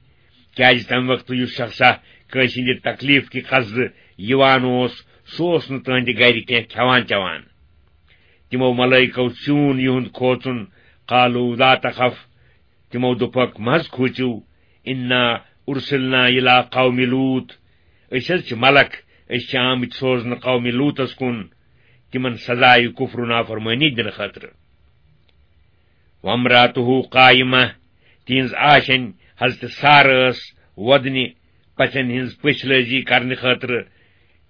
کیازِ تمہِ وقتہٕ یُس شخصا کٲنٛسہِ ہٕنٛدِ تکلیف کہِ قصدٕ یِوان اوس، سُہ اوس نہٕ تٕہٕنٛدِ گرِ کینٛہہ کھٮ۪وان چٮ۪وان۔ تِمو ملٲیکو سیوٗن یِہُنٛد کھوژُن، قالوا لا تخف، تِمو دوٚپکھ، مہ حظ کھوٗژِو، انا ارسلنا الی قوم لوط، أسۍ حظ چھِ ملک، أسۍ چھِ آمٕتۍ سوزنہٕ قومِ لوطس کُن، تِمن سزایہِ کفر و نافرمٲنی دِنہٕ خٲطرٕ۔ وامرأته قائمة، تِہنٛز آشنۍ حضرت سارہ ٲس وۄدنہِ پژھن ہٕنٛز پٔژھۍ لٲزی کرنہٕ خٲطرٕ۔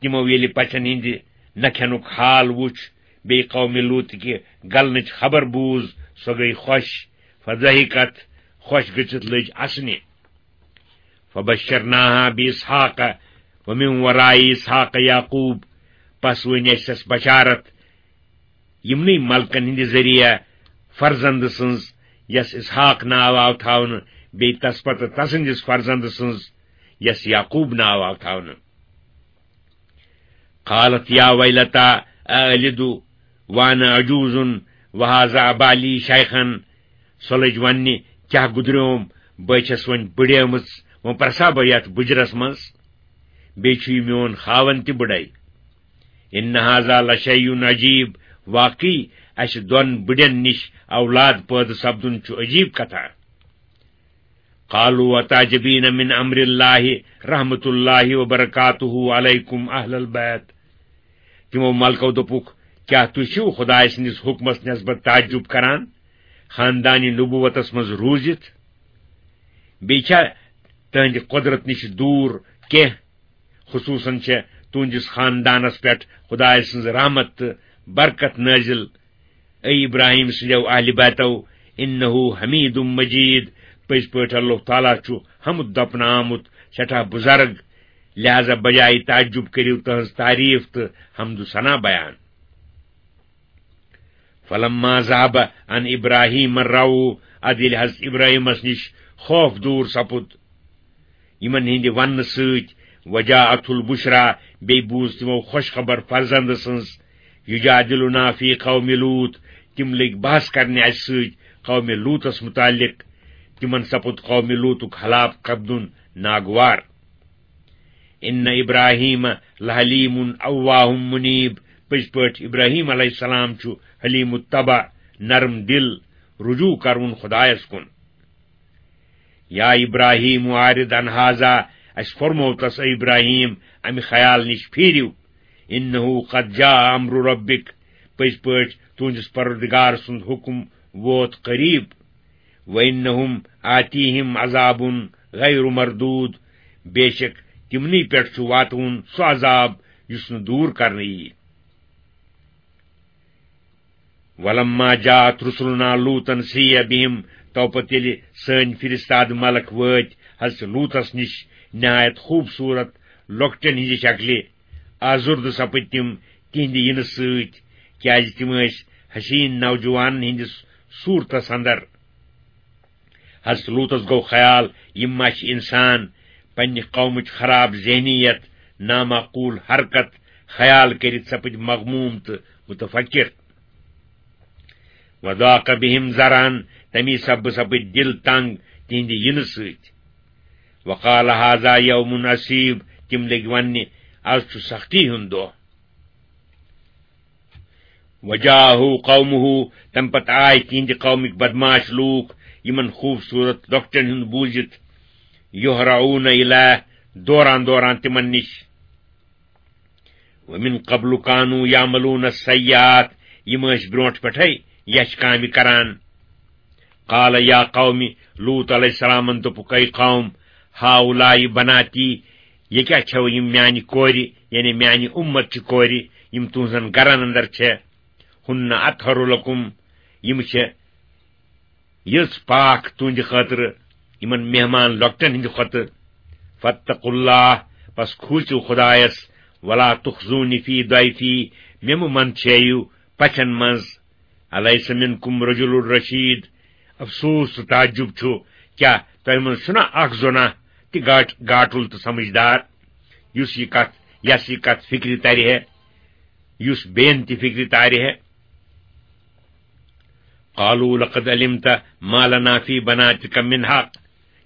تِمو ییٚلہِ پژھن ہٕنٛدِ نہ کھٮ۪نُک حال وُچھ، بیٚیہِ قومِ لوط کہِ گلنٕچ خبر بوٗز، سۄ گٔیہِ خۄش۔ فضحكت، خۄش گٔژھِتھ لٔج اسنہِ۔ فبشرناها بإسحاق ومن وراء إسحاق يعقوب، پس ؤنۍ اَسہِ تس بشارت یِمنٕے ملکن ہٕنٛدِ ذٔریعہٕ فرزند سٕنٛز، یس اسحاق ناو آو تھاونہٕ، بیٚیہِ تس پتہٕ تسٕنٛدِس فرزند سٕنٛز، یس یعقوب ناو آو تھاونہٕ۔ قالت يا ويلتى أألد وأنا عجوز وهذا بعلي شيخا، سۄ لٔج وننہِ، کیٛاہ گُدریوم، بہٕ چھَس وۄنۍ بٕڑیمٕژ، وۄنۍ پرسا بہٕ یتھ بُجرس منٛز، بیٚیہِ چھُ یہِ میون خاوند تہِ بٕڑے۔ إن هذا لشيء عجيب، واقعی اسہِ دۄن بٕڑٮ۪ن نِش اولاد پٲدٕ سپدُن چھُ عجیب کتھا۔ قالوا أتعجبين من أمر الله رحمة الله وبركاته عليكم أهل البيت۔ تِمو ملکو دوٚپُکھ، کیٛاہ تُہۍ چھِو خدایہِ سٕنٛدِس حُکمس نسبت تعجب کران، خاندانِ نبوتس منٛز روٗزِتھ؟ بیٚیہِ چھا تُہنٛدِ قۄدرت نِش دوٗر کینٛہہ؟ خصوصاً چھےٚ تُہنٛدِس خاندانس پٮ۪ٹھ خدایہِ سٕنٛز رحمت تہٕ برکت نٲزِل۔ اے ابراہیم سٕنٛدیو اہلِ بیتو، انہ حمید مجید، پٔزۍ پٲٹھۍ اللہ تعالیٰ چھُ حمد دپنہٕ آمُت، سٮ۪ٹھاہ بُزرگ، لہذا بجایہِ تعجب کٔرِو تہنٛز تعریف تہٕ حمد و ثنا بیان۔ فلما ذهب عن ابراہیم الروع، ادٕ ییٚلہِ حضرت ابراہیمس نِش خوف دوٗر سپُد یِمن ہٕنٛدِ وننہٕ سۭتۍ، وجاءته البشرى، بیٚیہِ بوٗز تِمو خۄش خبر فرزند سٕنٛز، يجادلنا في قوم لوط، تِم لٔگۍ بحث کرنہِ اسہِ سۭتۍ قومِ لوطس متعلق، تِمن سپُد قومِ لوطُک ہلاک سپدُن ناگوار۔ ان ابراہیم لحلیم اوّاہ منیب، پٔزۍ پٲٹھۍ ابراہیم علیہ السلام چھُ حلیم الطبع، نرم دل، رجوع کرون خدایس کُن۔ یا ابراہیم اعرض عن هذا، اسہِ فرموو تس، اے ابراہیم، امہِ خیال نِش پھیٖرِو۔ انہ قد جاء امر ربک، پٔزۍ پٲٹھۍ تُہنٛدِس پروردگار سُنٛد حُکم ووت قریب۔ وانہم آتیہم عذاب غیر مردود، بے شک تِمنٕے پٮ۪ٹھ چھُ واتُن سُہ عذاب یُس نہٕ دوٗر کرنہٕ یِیہِ۔ ولما جاءت رسلنا لوطا سیء بهم، تو پتہٕ ییٚلہِ سٲنۍ فرستاد ملک وٲتۍ حضرت لوطس نِش نہایت خوٗبصوٗرت لۄکٹٮ۪ن ہٕنٛزِ شکلہِ، آزُردٕ سپٕدۍ تِم تِہنٛدِ یِنہٕ سۭتۍ، کیازِ تِم ٲسۍ حسین نوجوانن ہٕنٛدِس صوٗرتس اندر۔ حضرت لوطس گوٚو خیال، یِم ما چھِ انسان، پننہِ قومٕچ خراب ذہنیت، نامعقول حرکت خیال کٔرِتھ سپٕدۍ مغموم تہٕ متفکر۔ وضاق بهم ذرعا، تمی سببہٕ سپٕدۍ دِل تنگ تِہنٛدِ یِنہٕ سۭتۍ۔ وقال هذا يوم عصيب، تِم لٔگۍ وننہِ، از چھُ سختی ہُنٛد دۄہ۔ وجاءه قومه، تمہِ پتہٕ آے تِہنٛدِ قومٕکۍ بدمعاش لوٗکھ، یِمن خوٗبصوٗرت لۄکٹٮ۪ن ہُنٛد بوٗزِتھ، يهرعون إليه، دوران دوران تِمن نِش۔ ومن قبل كانوا يعملون السيئات، یِم ٲسۍ برونٛٹھ پٮ۪ٹھَے یَچھ کامہِ کران۔ قال يا قوم، لوط علیہ السلامن دوٚپُکھ، اے قوم، هؤلاء بناتي، یہِ کیٛاہ چھَو یِم میانہِ کورِ، یعنی میانہِ اُمت چہِ کورِ، یِم تُہنٛزن گرن اندر چھےٚ، هن أطهر لكم، یِم چھےٚ یٔژ پاک تُہنٛدِ خٲطرٕ یِمن مہمان لۄکٹٮ۪ن ہٕنٛدِ کھۄتہٕ۔ فاتقوا الله، پس کھوٗژِو خدایس، ولا تخزوني في ضيفي، مےٚ مہٕ منٛدچھٲیِو پژھٮ۪ن منٛز۔ أليس منكم رجل رشيد، افسوس تہٕ تعجب چھُ، کیٛاہ تۄہہِ منٛز چھُنا اکھ زوٚنا تہِ گاٹ-، گاٹُل تہٕ سمجھدار، یُس یہِ کتھ، یس یہِ کتھ فکرِ ترِ ہے، یُس بیٚین تہِ فکرِ تارِ ہے؟ قالوا لقد علمت ما لنا في بناتك من حق۔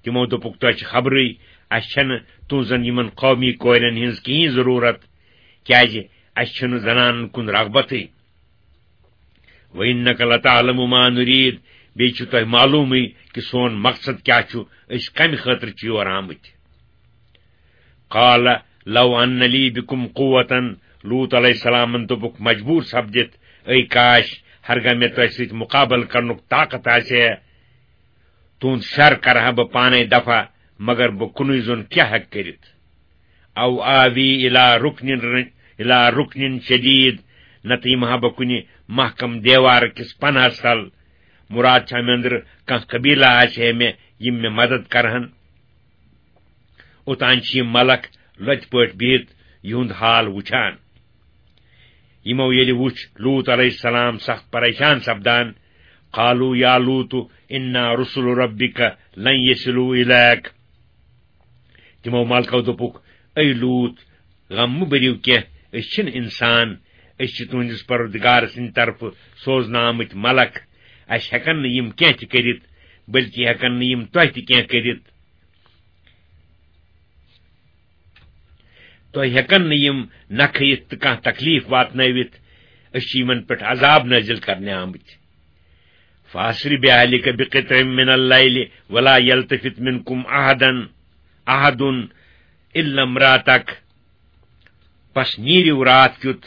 تِمو دوٚپُکھ، تۄہہِ چھِ خبرٕے، اَسہِ چھَنہٕ تُہنٛزن یِمن قومی کورٮ۪ن ہٕنٛز کِہیٖنۍ ضروٗرت، کیازِ اَسہِ چھُنہٕ زنانن کُن رغبتٕے۔ وإنك لتعلم ما نريد، بیٚیہِ چھُ تۄہہِ معلومٕے کہِ سون مقصد کیٛاہ چھُ، أسۍ کمہِ خٲطرٕ چھِ یور آمٕتۍ۔ قال لو أن لي بكم قوة، لوط علیہ السلامن دوٚپُکھ مجبوٗر سپدِتھ، اے کاش، ہرگاہ مےٚ تۄہہِ سۭتۍ مقابلہٕ کرنُک طاقت آسہِ ہے، تُہُنٛد شر کرٕ ہا بہٕ پانے دفع، مگر بہٕ کُنُے زوٚن کیٛاہ ہٮ۪کہٕ کٔرِتھ؟ أو آوي إلى ركن، إلى ركن شديد، نتہٕ یِمہٕ ہا بہٕ کُنہِ محکم دیوار کِس پنہس تل۔ مُراد چھا مےٚ أنٛدرٕ کانٛہہ قبیلہ آسہِ ہے مےٚ، یِم مےٚ مدد کرہن۔ اوٚتام چھِ یِم ملک لۄتہِ پٲٹھۍ بِہِتھ یِہُنٛد حال وُچھان۔ یِمو ییٚلہِ وُچھ لوط علیہ السلام سخت پریشان سپدان، قالوا يا لوط إنا رسل ربك لن يصلوا إليك۔ تِمو ملکو دوٚپُکھ، اے لوط، غم مہٕ بٔرِو کینٛہہ، أسۍ چھِنہٕ انسان، أسۍ چھِ تُہنٛدِس پروردگار سٕنٛدِ طرفہٕ سوزنہٕ آمٕتۍ ملک، اَسہِ ہٮ۪کن نہٕ یِم کینٛہہ تہِ کٔرِتھ، بلکہِ ہٮ۪کن نہٕ یِم تۄہہِ تہِ کینٛہہ کٔرِتھ۔ تۄہہِ ہٮ۪کن نہٕ یِم نہ کھٔیِتھ تہٕ کانٛہہ تکلیف واتنٲوِتھ۔ أسۍ چھِ یِمن پٮ۪ٹھ عذاب نٲزِل کرنہِ آمٕتۍ۔ فأسر بأهلك بقطع من الليل ولا يلتفت منكم أحدا، أحد إلا امرأتك۔ پس نیٖرِو راتھ کیُتھ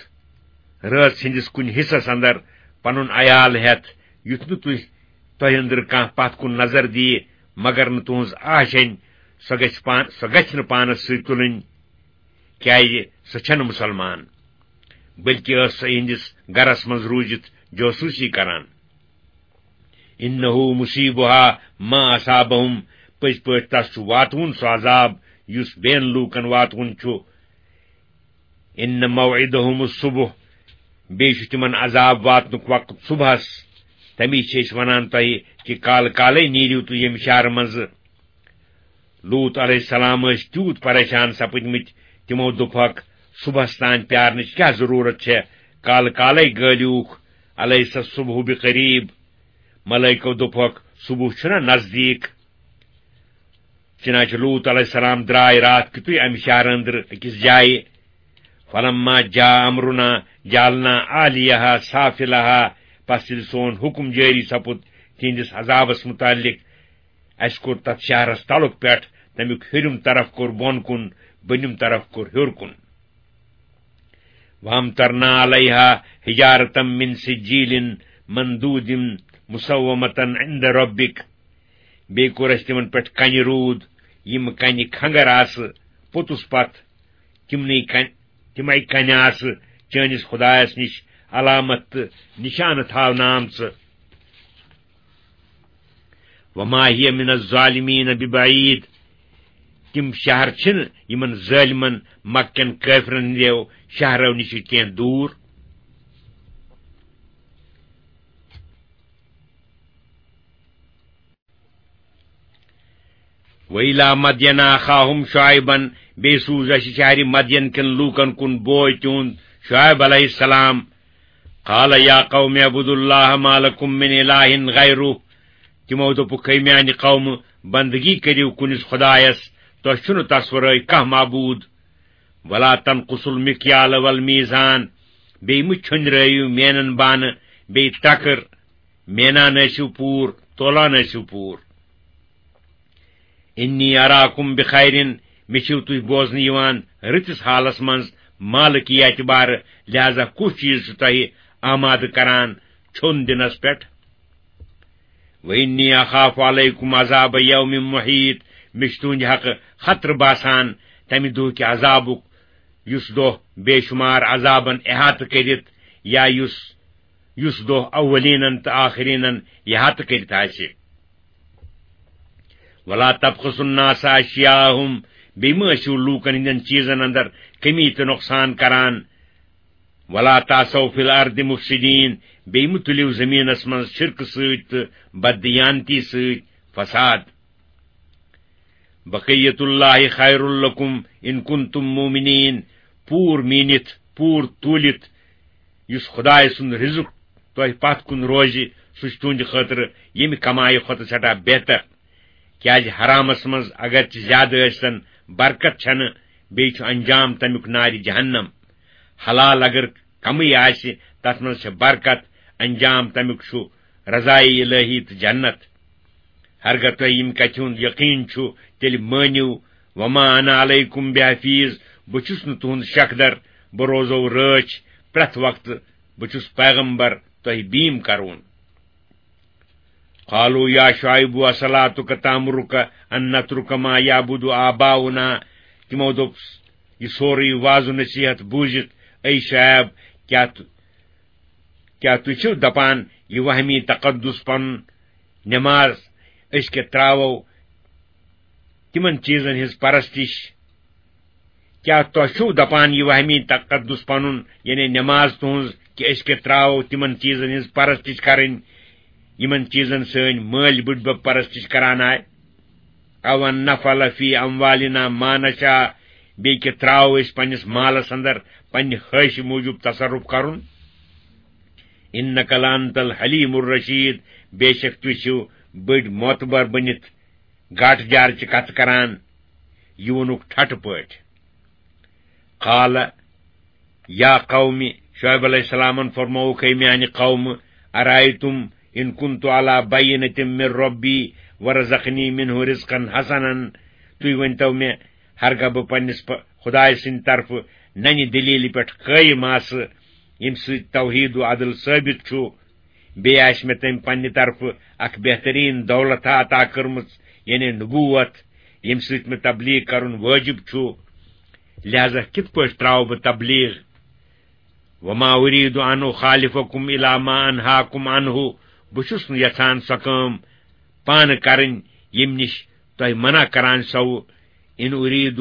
رٲژ ہٕنٛدِس کُنہِ حصس اندر پنُن عیال ہٮ۪تھ، یُتھ نہٕ تُہۍ، تۄہہِ أنٛدرٕ کانٛہہ پتھ کُن نظر دِیہِ، مگر نہٕ تُہنٛز آشینۍ، سۄ گژھِ پان-، سۄ گژھِ نہٕ پانس سۭتۍ تُلٕنۍ، کیازِ سۄ چھنہٕ مُسلمان، بلکہِ ٲس سۄ یِہنٛدِس گرس منٛز روٗزِتھ جاسوٗسی کران۔ إنه مصيبها ما أصابهم، پٔزۍ پٲٹھۍ تس چھُ واتوُن سُہ عذاب یُس بیٚین لوٗکن واتوُن چھُ۔ إن موعدهم الصبح، بیٚیہِ چھُ تِمن عذاب واتنُک وقت صبحس۔ تمی چھِ أسۍ ونان تۄہہِ کہِ کالہٕ کالے نیٖرِو تُہۍ ییٚمہِ شہرٕ منٛزٕ۔ لوط علیہ السلام ٲسۍ تیوٗت پریشان سپٕدمٕتۍ، تِمو دوٚپہکھ، صبحس تام پیارنٕچ کیٛاہ ضروٗرت چھےٚ؟ کالہٕ کالے گٲلیوکھ، أليس الصبح بقريب؟ ملٲیکو دوٚپہکھ، صبح چھُنہ نزدیٖک؟ چنانچہ لوط علیہ السلام درٛاے راتھ کیُتُے امہِ شہرٕ أنٛدرٕ أکِس جایہِ۔ فلما جاء أمرنا جعلنا عاليها سافلها، پس ییٚلہِ سون حُکم جٲری سپُد تِہنٛدِس عذابس متعلق، اسہِ کوٚر تتھ شہرس تلُک پٮ۪ٹھ، تمیُک ہیوٚرِم طرف کوٚر بۄن کُن، بۄنِم طرف کوٚر ہیوٚر کُن۔ وأمطرنا عليها حجارة من سجيل منضود مسومة عند ربك۔ بیٚیہِ کوٚر اسہِ تِمن پٮ۪ٹھ کنہِ روٗد، یِم کنہِ کھنگر آسہٕ پوٚتُس پتھ، تِمنٕے کن-، تِمے کنہِ آسہٕ چٲنِس خدایس نِش علامت تہٕ نِشانہٕ تھاونہٕ آمژٕ۔ وما هي من الظالمين ببعيد۔ تِم شہر چھِنہٕ یِمن ظٲلمن مکہ کٮ۪ن کٲفرن ہٕنٛدیو شہرو نِش کینٛہہ دوٗر۔ وإلى مدين أخاهم شعيبا، بیٚیہِ سوٗز اَسہِ شہرِ مدین کٮ۪ن لوٗکن کُن بوے تِہُنٛد شعیب علیہ السلام۔ قال یا قوم اعبدوا اللہ ما لکم من الہ غیرہ۔ تِمو دوٚپُکھ، ہے میانہِ قومہٕ، بندگی کٔرِو کُنِس خدایس، تۄہہِ چھُنہٕ تس ورٲے کانٛہہ معبوٗد۔ ولا تنقصوا المکیال والمیزان، بیٚیہِ مہٕ چھۄنرٲیِو مینن بانہٕ، بیٚیہِ ترکٕر، مینان ٲسِو پوٗر، تولان ٲسِو پوٗر۔ انی اراکم بخیر، مےٚ چھِو تُہۍ بوزنہٕ یِوان رٕتِس حالس منٛز، مالٕکۍ اعتبارٕ، لہذا کُس چیٖز چھُ تۄہہِ آمادٕ کران چھوٚن دِنس پٮ۪ٹھ؟ وانی اخاف علیکم عذاب یوم محیط، مےٚ چھُ تُہنٛدِ حقہٕ خطرٕ باسان تمہِ دۄہ کہِ عذابُک، یُس دۄہ بے شمار عذابن احاطہٕ کٔرِتھ، یا یُس، یُس دۄہ اولینن تہٕ آخرینن احاطہٕ کٔرِتھ آسہِ۔ ولا تبخسوا الناس اشیاءہم، بیٚیہِ مہٕ ٲسِو لوٗکن ہٕنٛدٮ۪ن چیٖزن اندر کمی تہٕ نۄقصان کران۔ ولا تعثوا فی الارض مفسدین، بیٚیہِ مہٕ تُلِو زٔمیٖنس منٛز شرکہٕ سۭتۍ تہٕ بددیانتی سۭتۍ فساد۔ بقیت اللہ خیر لکم ان کنتم مؤمنین، پوٗر میٖنِتھ، پوٗر توٗلِتھ، یُس خدایہِ سُنٛد رزق تۄہہِ پتھ کُن روزِ، سُہ چھُ تُہنٛدِ خٲطرٕ ییٚمہِ کمایہِ کھۄتہٕ سٮ۪ٹھاہ بہتر۔ کیازِ حرامس منٛز اگرچہِ زیادٕ ٲسۍتن، برکت چھنہٕ، بیٚیہِ چھُ انجام تمیُک نارِ جہنم۔ حلال اگر کمٕے آسہِ، تتھ منٛز چھےٚ برکت، انجام تمیُک چھُ رضایہِ الہی تہٕ جنت۔ ہرگاہ تۄہہِ ییٚمہِ کتھِ ہُنٛد یقین چھُ، تیٚلہِ مٲنِو، وما انا علیکم بحفیظ، بہٕ چھُس نہٕ تُہُنٛد شکدر، بہٕ روزو رٲچھ پرٛٮ۪تھ وقتہٕ، بہٕ چھُس پیغمبر، تۄہہِ بیٖم کرون۔ قالوا یا شعیب اصلاتک تامرک ان نترک ما یعبد آباؤنا، تِمو دوٚپ، یہِ سورُے وعظ و نصیحت بوٗزِتھ، اے شعیب، کیٛاہ تُ-، کیٛاہ تُہۍ چھِو دپان یہِ وہمی تقدس پنُن نماز أسۍ کیٛاہ ترٛاوو تِمن چیٖزن ہٕنٛز پرستش؟ کیٛاہ تۄہہِ چھُو دپان یہِ وہمی تقدس پنُن، یعنی نماز تُہنٛز، کہِ أسۍ کیٛاہ ترٛاوو تِمن چیٖزن ہٕنٛز پرستش کرٕنۍ، یِمن چیٖزن سٲنۍ مٲلۍ بٕڈبب پرستش کران آے؟ او ان نفعل فی اموالنا ما نشاء، بیٚیہِ کہِ ترٛاوو أسۍ پننِس مالس اندر پننہِ خٲہشہِ موٗجوٗب تصرف کرُن؟ انک لانت الحلیم الرشید، بے شک تُہۍ چھِو بٔڑۍ معتبر بٔنِتھ گاٹہٕ جارٕچہِ کتھٕ کران، یہِ ووٚنُکھ ٹھٹہٕ پٲٹھۍ۔ قال یا قوم، شعیب علیہ السلامن فرمووُکھ، ہے میانہِ قومہٕ، ارایتم ان کنت علی بینۃ من ربی ورزقنی منہ رزقا حسنا، تُہۍ ؤنۍتو مےٚ، ہرگاہ بہٕ پننِس پ-، خدایہِ سٕنٛدِ طرفہٕ ننہِ دلیلہِ پٮ۪ٹھ قٲیِم آسہٕ، ییٚمہِ سۭتۍ توحید و عدل ثٲبت چھُ، بیٚیہِ آسہِ مےٚ تٔمۍ پننہِ طرفہٕ اکھ بہتریٖن دولت عطا کٔرمٕژ، یعنی نبوت، ییٚمہِ سۭتۍ مےٚ تبلیغ کرُن وٲجب چھُ، لہذا کِتھ پٲٹھۍ ترٛاوٕ بہٕ تبلیغ؟ وما ارید ان اخالفکم الی ما انہاکم عنہ، بہٕ چھُس نہٕ یژھان سۄ کٲم پانہٕ کرٕنۍ، ییٚمہِ نِش تۄہہِ منع کران چھسو۔ ان ارید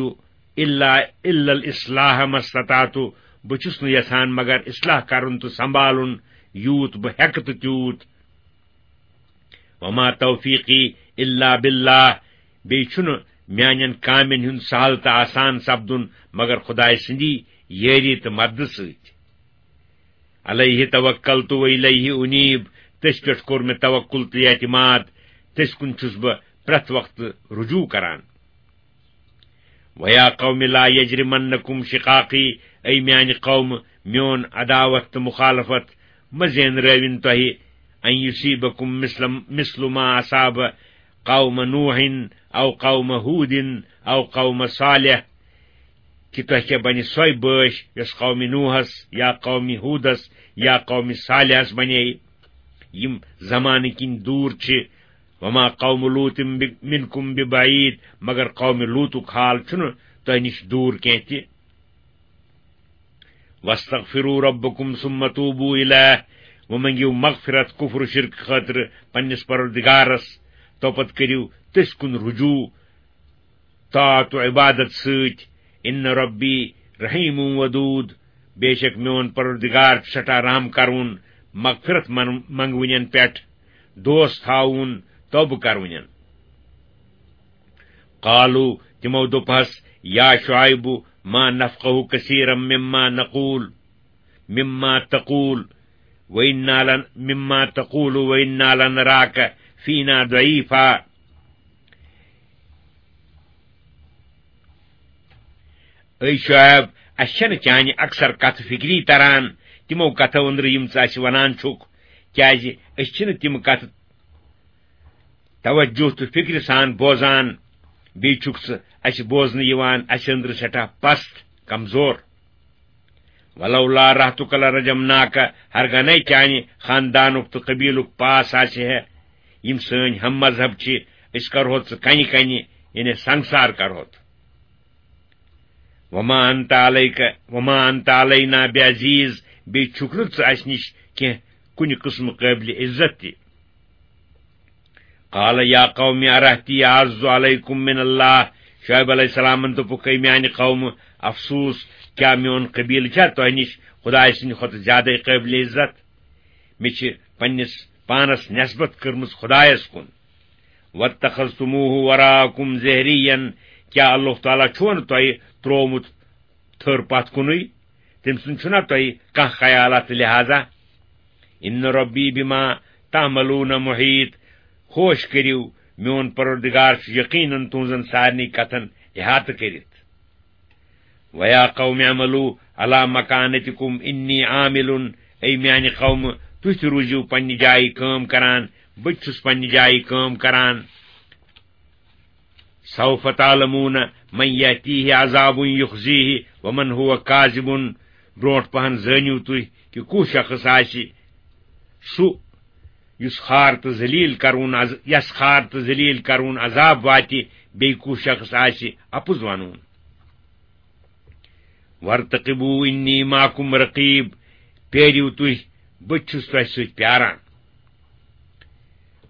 الا، الا الاصلاح ما استطعت، بہٕ چھُس نہٕ یژھان مگر اصلاح کرُن تہٕ سنبھالُن، یوٗت بہٕ ہیٚکہٕ تہٕ تیوٗت۔ وما توفیقی الا باللہ، بیٚیہِ چھُنہٕ میانٮ۪ن کامٮ۪ن ہُنٛد سہل تہٕ آسان سپدُن مگر خدایہِ سٕنٛدی یٲری تہٕ مددٕ سۭتۍ۔ علیہ توکلت و الیہ انیب، تٔسۍ پٮ۪ٹھ کوٚر مےٚ توکل تہٕ اعتماد، تٔسۍ کُن چھُس بہٕ پرٛٮ۪تھ وقتہٕ رجوع کران۔ ویا قوم لا یجرمنکم شقاقی، اے میانہِ قوم، میون عداوت تہٕ مخالفت مہ زینرٲوِن تۄہہِ، ان یصیبکم مثل، مثل ما اصاب قوم نوح او قوم ہود او قوم صالح، کہِ تۄہہِ کیٛاہ بنہِ سۄے بٲش یۄس قومِ نوحس یا قومِ ہودس یا قومِ صالحس بنے، یِم زمانہٕ کِنۍ دوٗر چھِ۔ وما قوم لوط ب-، منکم ببعید، مگر قومِ لوطُک حال چھُنہٕ تۄہہِ نِش دوٗر کینٛہہ تہِ۔ واستغفروا ربکم ثم توبوا الیہ، وۄنۍ منٛگِو مغفرت کفر و شرک خٲطرٕ پننِس پروردگارس، توپتہٕ کٔرِو تٔسۍ کُن رجوع طاعت و عبادت سۭتۍ۔ ان ربی رحیم ودود، بے شک میون پروردگار چھُ سٮ۪ٹھاہ رحم کرون، مغفرت من-، منگونین پٮ۪ٹھ، دوست تھاوون، توبہٕ کرونین۔ قالوا، تِمو دوٚپہس، یا شعیب، ما نفقہ کثیرا مما نقول، مما تقول، وَإِنَّا لَن-، مِمَّا تَقُولُ وَإِنَّا لَنَرَاكَ فِينَا ضَعِيفًا۔ اے شعیب، اسہِ چھنہٕ چانہِ اکثر کتھٕ فکری تران، تِمو کتھو أنٛدرٕ یِم ژٕ اسہِ ونان چھُکھ، کیازِ أسۍ چھِنہٕ تِم کتھٕ توجہ تہٕ فکرِ سان بوزان، بیٚیہِ چھُکھ ژٕ اسہِ بوزنہٕ یِوان اسہِ أنٛدرٕ سٮ۪ٹھاہ پست، کمزور۔ وَلَوْلَا رَحْتُكَ لَرَجَمْنَاكَ، ہرگنے چانہِ خاندانُک تہٕ قبیلُک پاس آسہِ ہے، یِم سٲنۍ ہم مذہب چھِ، أسۍ کرہوت ژٕ کنہِ کنہِ، یعنی سنگسار کرہوت۔ وَمَا أَنْتَ عَلَيْكَ، وَمَا أَنْتَ عَلَيْنَا بِعَزِيزٍ، بیٚیہِ چھُکھ نہٕ ژٕ اسہِ نِش کینٛہہ کُنہِ قٕسمہٕ قٲبلِ عزت تہِ۔ قال يا قوم أرهطي أعز عليكم من الله، شعیب علیہ السلامن دوٚپُکھ، اے میانہِ قومہٕ، افسوس، کیٛاہ میون قبیلہٕ چھا تۄہہِ نِش خدایہِ سٕنٛدِ کھۄتہٕ زیادَے قٲبلِ عزت؟ مےٚ چھِ پننِس پانس نسبت کٔرمٕژ خدایس کُن۔ واتخذتموه وراءكم ظهريا، کیٛاہ اللہ تعالیٰ چھُوا نہٕ تۄہہِ ترٛوومُت تھٔر پتھ کُنُے؟ تٔمۍ سُنٛد چھُنا تۄہہِ کانٛہہ خیال اتھ لحاظہ؟ ان ربی بما تعملون محیط، ہوش کٔرِو، میون پروردگار چھُ یقیناً تُہنٛزن سارنٕے کتھن احاطہٕ کٔرِتھ۔ وَيَا قَوْمِ اعْمَلُوا عَلَىٰ مَكَانَتِكُمْ إِنِّي عَامِلٌ، اے میانہِ قومہٕ، تُہۍ تہِ روٗزِو پننہِ جایہِ کٲم کران، بہٕ تہِ چھُس پننہِ جایہِ کٲم کران۔ سوف تعلمون من یأتیہ عذاب یخزیہ ومن هو کاذب۔ برونٹھ پہن زٲنِو تُہۍ کہِ کُس شخص آسہِ سُہ یُس خار تہٕ ذلیل کرون عذ-، یس خار تہٕ ذلیل کرون عذاب واتہِ، بیٚیہِ کُس شخص آسہِ اپُز ونون۔ وارتقبوا انی معکم رقیب، پیٲرِو تُہۍ، بہٕ تہِ چھُس تۄہہِ سۭتۍ پیاران۔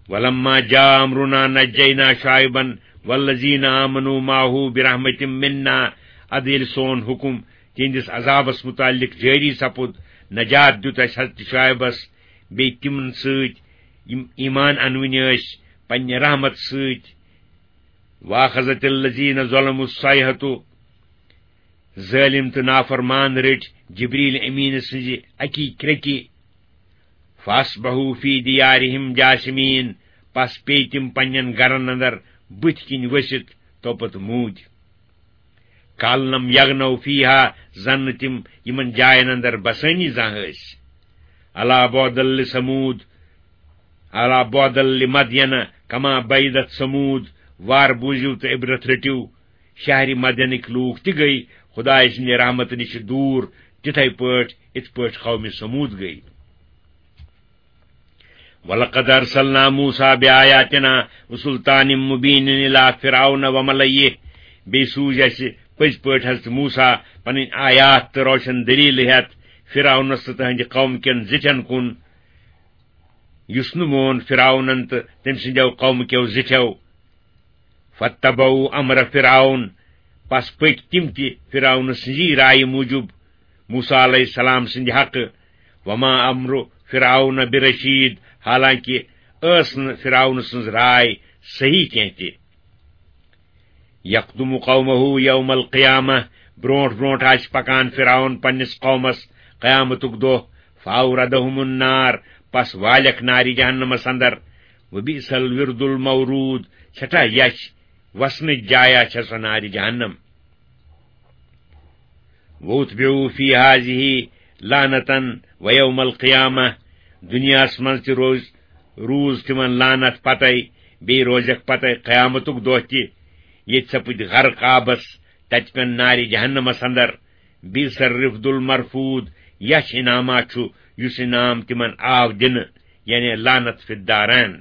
ولما جاء امرنا نجینا شعیبا والذین آمنوا معه برحمة منا، ادٕ ییٚلہِ سون حکم تِہنٛدِس عذابس متعلق جٲری سپُد، نجات دیُت اسہِ حضرت شعیبس بیٚیہِ تِمن سۭتۍ یِم ایمان انوٕنۍ ٲسۍ پننہِ رحمت سۭتۍ۔ واخذت الذین ظلموا الصیحة، ظٲلم تہٕ نافرمان رٔٹۍ جبریل امین سٕنزِ اکی کرکہِ۔ فاصبحوا فی دیارہم جاثمین، پس پیٚیہِ تِم پننٮ۪ن گرن اندر بٕتھۍ کِنۍ ؤسِتھ توپتہٕ موٗدۍ۔ کأن لم یغنوا فیہا، زن نہٕ تِم یِمن جاین اندر بسٲنی زانٛہہ ٲسۍ۔ الا بعدا لثمود، الا بعدا لمدین کما بعدت ثمود، وار بوٗزِو تہٕ عبرت رٔٹِو، شہرِ مدینٕکۍ لوٗکھ تہِ گٔیۍ خدایہِ سٕنٛدِ رحمتہٕ نِش دوٗر، تِتھے پٲٹھۍ، یِتھ پٲٹھۍ قومِ ثمود گٔیۍ۔ وَلَقَدْ أَرْسَلْنَا مُوسَىٰ بِآيَاتِنَا وَسُلْطَانٍ مُّبِينٍ إِلَىٰ فِرْعَوْنَ وَمَلَئِهِ۔ بیٚیہِ سوٗز اَسہِ پٔزۍ پٲٹھۍ حضرت موسیٰ پنٕنۍ آیات تہٕ روشن دٔلیٖلہٕ ہٮ۪تھ فرعونس تہٕ تٕہٕنٛدِ قوم کٮ۪ن زِٹھٮ۪ن کُن، یُس نہٕ مون فرعونن تہٕ تٔمۍ سٕنٛدٮ۪و قومہٕ کٮ۪و زِٹھٮ۪و۔ فاتبعوا امر فرعون، پس پٔکۍ تِم تہِ فرعون سٕنٛزی رایہِ موٗجوٗب موسیٰ علیہ السلام سٕنٛدِ حقہٕ۔ وما امر فرعون برشید، حالانکہ ٲس نہٕ فرعون سٕنٛز راے صحیح کینٛہہ تہِ۔ یقدم قومہ یوم القیامہ، برونٹھ برونٹھ آسہِ پکان فرعون پننِس قومس قیامتُک دۄہ۔ فاوردہم النار، پس والکھ نارِ جہنمس اندر۔ وبئس الورد المورود، سٮ۪ٹھاہ یچھ وسنٕچ جایا چھےٚ سۄ نارِ جہنم۔ واتبعوا فی ہذہ لعنة ویوم القیامہ، دنیاہس منٛز تہِ روز، روٗز تِمن لعنت پتے، بیٚیہِ روزکھ پتے قیامتُک دۄہ تہِ، ییٚتہِ سپٕدۍ غرق آبس، تتہِ پٮ۪ن نارِ جہنمس اندر۔ بئس الرفد المرفود، یچھ انعامہ چھُ یُس انعام تِمن آو دِنہٕ، یعنی لعنت فی الدارین۔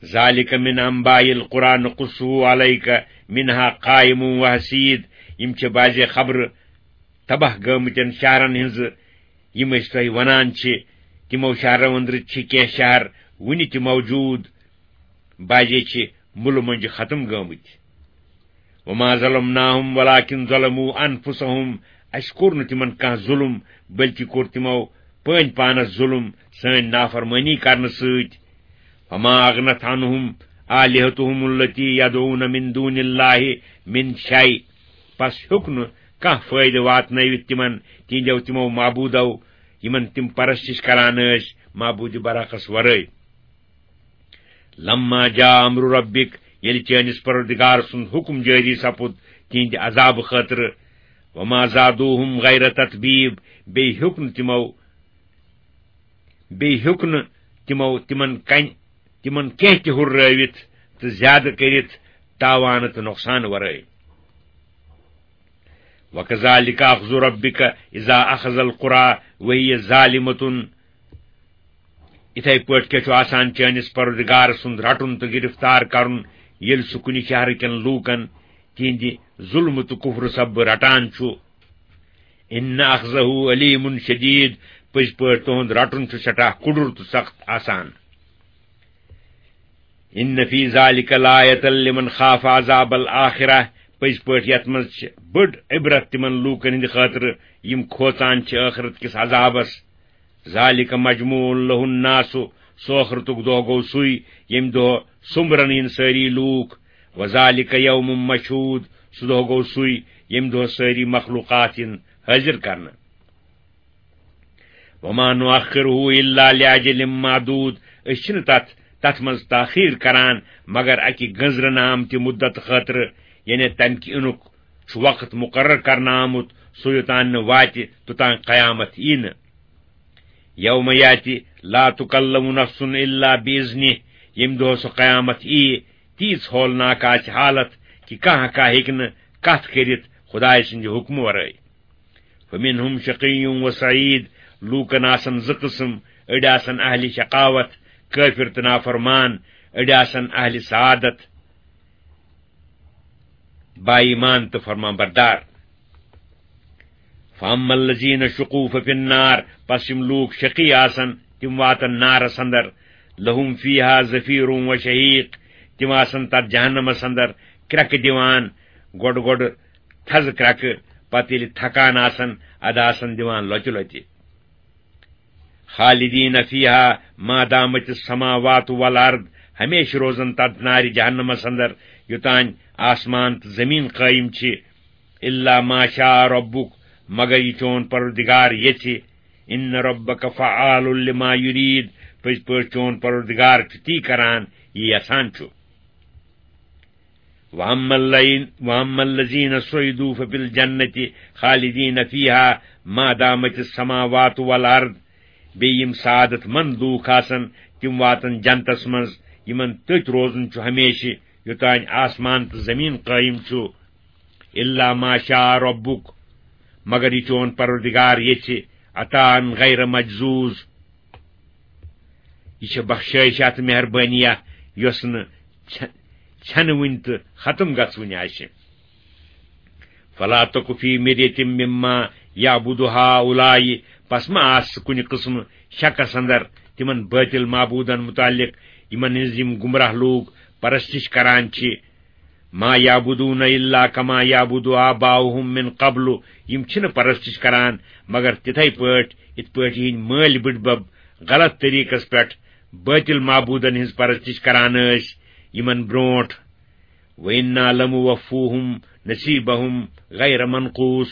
ذالک من انباء القری نقصہ علیک منها قائم و حصید، یِم چھِ بعضے خبرٕ تباہ گٲمٕتٮ۪ن شہرن ہٕنٛزٕ، یِم أسۍ تۄہہِ ونان چھِ۔ تِمو شہرو أنٛدرٕ چھِ کینٛہہ شہر وُنہِ تہِ موجود، بعضے چھِ مُلہٕ مۄنجہِ ختم گٲمٕتۍ۔ وما ظلمناہم ولکن ظلموا انفسہم، اسہِ کوٚر نہٕ تِمن کانٛہہ ظُلم، بلکہِ کوٚر تِمو پٲنۍ پانس ظُلم سٲنۍ نافرمٲنی کرنہٕ سۭتۍ۔ فما اغنت عنہم آلہتہم التی یدعون من دون اللہ من شیء، پس ہیوٚک نہٕ کانٛہہ فٲیدٕ واتنٲوِتھ تِمن تِہنٛدیو تِمو معبوٗدو یِمن تِم پرستش کران ٲسۍ معبوٗدِ برحقس ورٲے۔ لما جاء امر ربک، ییٚلہِ چٲنِس پروردگار سُنٛد حُکم جٲری سپُد تِہنٛدِ عذابہٕ خٲطرٕ، وما زادوہم غیر تتبیب، بیٚیہِ ہیوٚک نہٕ تِمو، بیٚیہِ ہیوٚک نہٕ تِمو تِمن کنہِ، تِمن کینٛہہ تہِ ہُررٲوِتھ تہٕ زیادٕ کٔرِتھ تاوانہٕ تہٕ نۄقصان ورٲے۔ وَكَذَلِكَ أَخْذُ رَبِّكَ إِذَا أَخَذَ الْقُرَىٰ وَهِيَ ظَالِمَةٌ۔ یِتھے پٲٹھۍ کیٛاہ چھُ آسان چٲنِس پروردگار سُنٛد رٹُن تہٕ گرفتار کرُن، ییٚلہِ سُہ کُنہِ شہرٕ کٮ۪ن لوٗکن تِہنٛدِ ظُلمہٕ تہٕ کُفرٕ سببہٕ رٹان چھُ؟ إِنَّ أَخْذَهُ أَلِيمٌ شَدِيدٌ، پٔزۍ پٲٹھۍ تُہُنٛد رٹُن چھُ سٮ۪ٹھاہ کُڈُر تہٕ سخت آسان۔ إِنَّ فِي ذَٰلِكَ لَآيَةً لِمَنْ خَافَ عَذَابَ الْآخِرَةِ، پٔزۍ پٲٹھۍ یَتھ منٛز چھِ بٔڑ عبرت تِمن لوٗکن ہٕنٛدِ خٲطرٕ یِم کھوژان چھِ ٲخرت کِس عذابس۔ ذَٰلِكَ مَجْمُوعٌ لَهُ النَّاسُ، سُہ ٲخرتُک دۄہ گوٚو سُے ییٚمہِ دۄہ سوٚمبرن یِن سٲری لوٗکھ۔ وَذَٰلِكَ يَوْمٌ مَشْهُودٌ، سُہ دۄہ گوٚو سُے ییٚمہِ دۄہ سٲری مخلوٗقات یِن حٲضِر کرنہٕ۔ وَمَا نُؤَخِّرُهُ إِلَّا لِأَجَلٍ مَّعْدُودٍ، أسۍ چھِنہٕ تَتھ، تَتھ منٛز تاخیر کران مگر اَکہِ گٔنزرنہٕ آمتہِ مُدت خٲطرٕ، یعنی تَمہِ کہِ یِنُک چھُ وقت مُقرر کرنہٕ آمُت، سُہ یوٚتام نہٕ واتہِ توٚتام قیامت یی نہٕ۔ يَوْمَ يَأْتِي لَا تُكَلَّمُ نَفْسٌ إِلَّا بِإِذْنِهِ، ییٚمہِ دۄہ سُہ قیامت یی، تیٖژ ہولناک آسہِ حالت کہِ کانٛہہ کانٛہہ ہیٚکہِ نہٕ کتھ کٔرِتھ خدایہِ سٕنٛدِ حُکمہٕ ورٲے۔ فَمِنْهُمْ شَقِيٌّ وَسَعِيدٌ، لوٗکن آسن زٕ قٕسم، أڑۍ آسن اہلِ شقاوت، کٲفر تہٕ نافرمان، أڑۍ آسن اہلِ سعادت، با ایمان تہٕ فرمان بردار۔ فَأَمَّا الَّذِينَ شُقُوا فَفِي النَّارِ، پس یِم لوٗکھ شقی آسن، تِم واتن نارس اندر۔ لَهُمْ فِيهَا زَفِيرٌ وَشَهِيقٌ، تِم آسن تتھ جہنمس اندر کرٛٮ۪کہٕ دِوان، گۄڈٕ گۄڈٕ تھزٕ کرٛٮ۪کہٕ، پتہٕ ییٚلہِ تھکان آسن، ادٕ آسن دِوان لۄتہِ لۄتہِ۔ خالدین فیہا ما دامت السماوات والارض، ہمیشہِ روزن تتھ نارِ جہنمس اندر، یوتانۍ آسمان تہٕ زمین قٲیم چھِ۔ الا ما شاء ربک، مگر یہِ چون پروردگار یژھِ۔ ان ربک فعال لما یرید، پٔزۍ پٲٹھۍ چون پروردگار چھُ تی کران، یہِ یژھان چھُ۔ وَأَمَّا الَّذِينَ، وَأَمَّا الَّذِينَ سُعِدُوا فَفِي الْجَنَّةِ خَالِدِينَ فِيهَا مَا دَامَتِ السَّمَاوَاتُ وَالْأَرْضُ۔ بیٚیہِ یِم سعادت مند لوٗکھ آسن، تِم واتن جنتس منٛز، یِمن تٔتۍ روزُن چھُ ہمیشہِ، یوٚتانۍ آسمان تہٕ زمین قٲیم چھُ۔ الا ما شاء ربک، مگر یہِ چون پروردگار یژھِ، عطاء غیر مجذوذ۔ یہِ چھےٚ بخشٲیشہ تہٕ مہربٲنیہ، یۄس نہٕ ژھے-، ژھٮ۪نہٕ وٕنۍ تہٕ ختم گژھوٕنۍ آسہِ۔ فلا تک فی مریۃ مما یعبد ہؤلاء، پس مہ آس ژٕ کُنہِ قٕسمہٕ شکس اندر تِمن بٲطل معبوٗدن متعلق، یِمن ہٕنٛز یِم گمراہ لوٗکھ پرستش کران چھِ۔ ما یعبدون الا کما یعبد آباؤہم من قبل، یِم چھِنہٕ پرستش کران مگر تِتھے پٲٹھۍ یِتھ پٲٹھۍ یِہنٛدۍ مٲلۍ بٕڈبب غلط طریقس پٮ۪ٹھ بٲطل معبوٗدن ہٕنٛز پرستش کران ٲسۍ یِمن برونٹھ۔ وَإِنَّا لَمُوَفُّوهُمْ نَصِيبَهُمْ غَيْرَ مَنْقُوصٍ،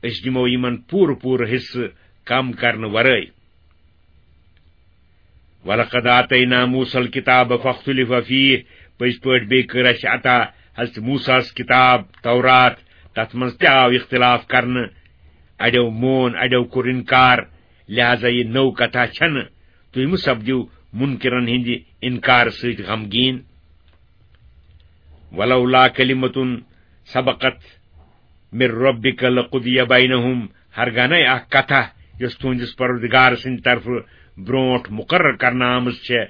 أسۍ دِمو یِمن پوٗرٕ پوٗرٕ حصہٕ کم کرنہٕ ورٲے۔ وَلَقَدْ آتَيْنَا مُوسَى الْكِتَابَ فَاخْتُلِفَ فِيهِ، پٔزۍ پٲٹھۍ بیٚیہِ کٔر اَسہِ عطا حضرت موسیٰ ہَس کِتاب تورات، تَتھ منٛز تہِ آو اختلاف کرنہٕ، اَڑیو مون، اَڑیو کوٚر اِنکار، لہذا یہِ نٔو کتھا چھنہٕ، تُہۍ مہٕ سپدِو مُنکِرن ہٕنٛدِ اِنکار سۭتۍ غمگیٖن۔ وَلَوْلَا كَلِمَةٌ سَبَقَتْ مِنْ رَبِّكَ لَقُضِيَ بَيْنَهُمْ، ہرگانے اکھ کتھا یۄس تُہنٛدِس پروردگار سٕنٛدِ طرفہٕ برونٹھ مقرر کرنہٕ آمٕژ چھےٚ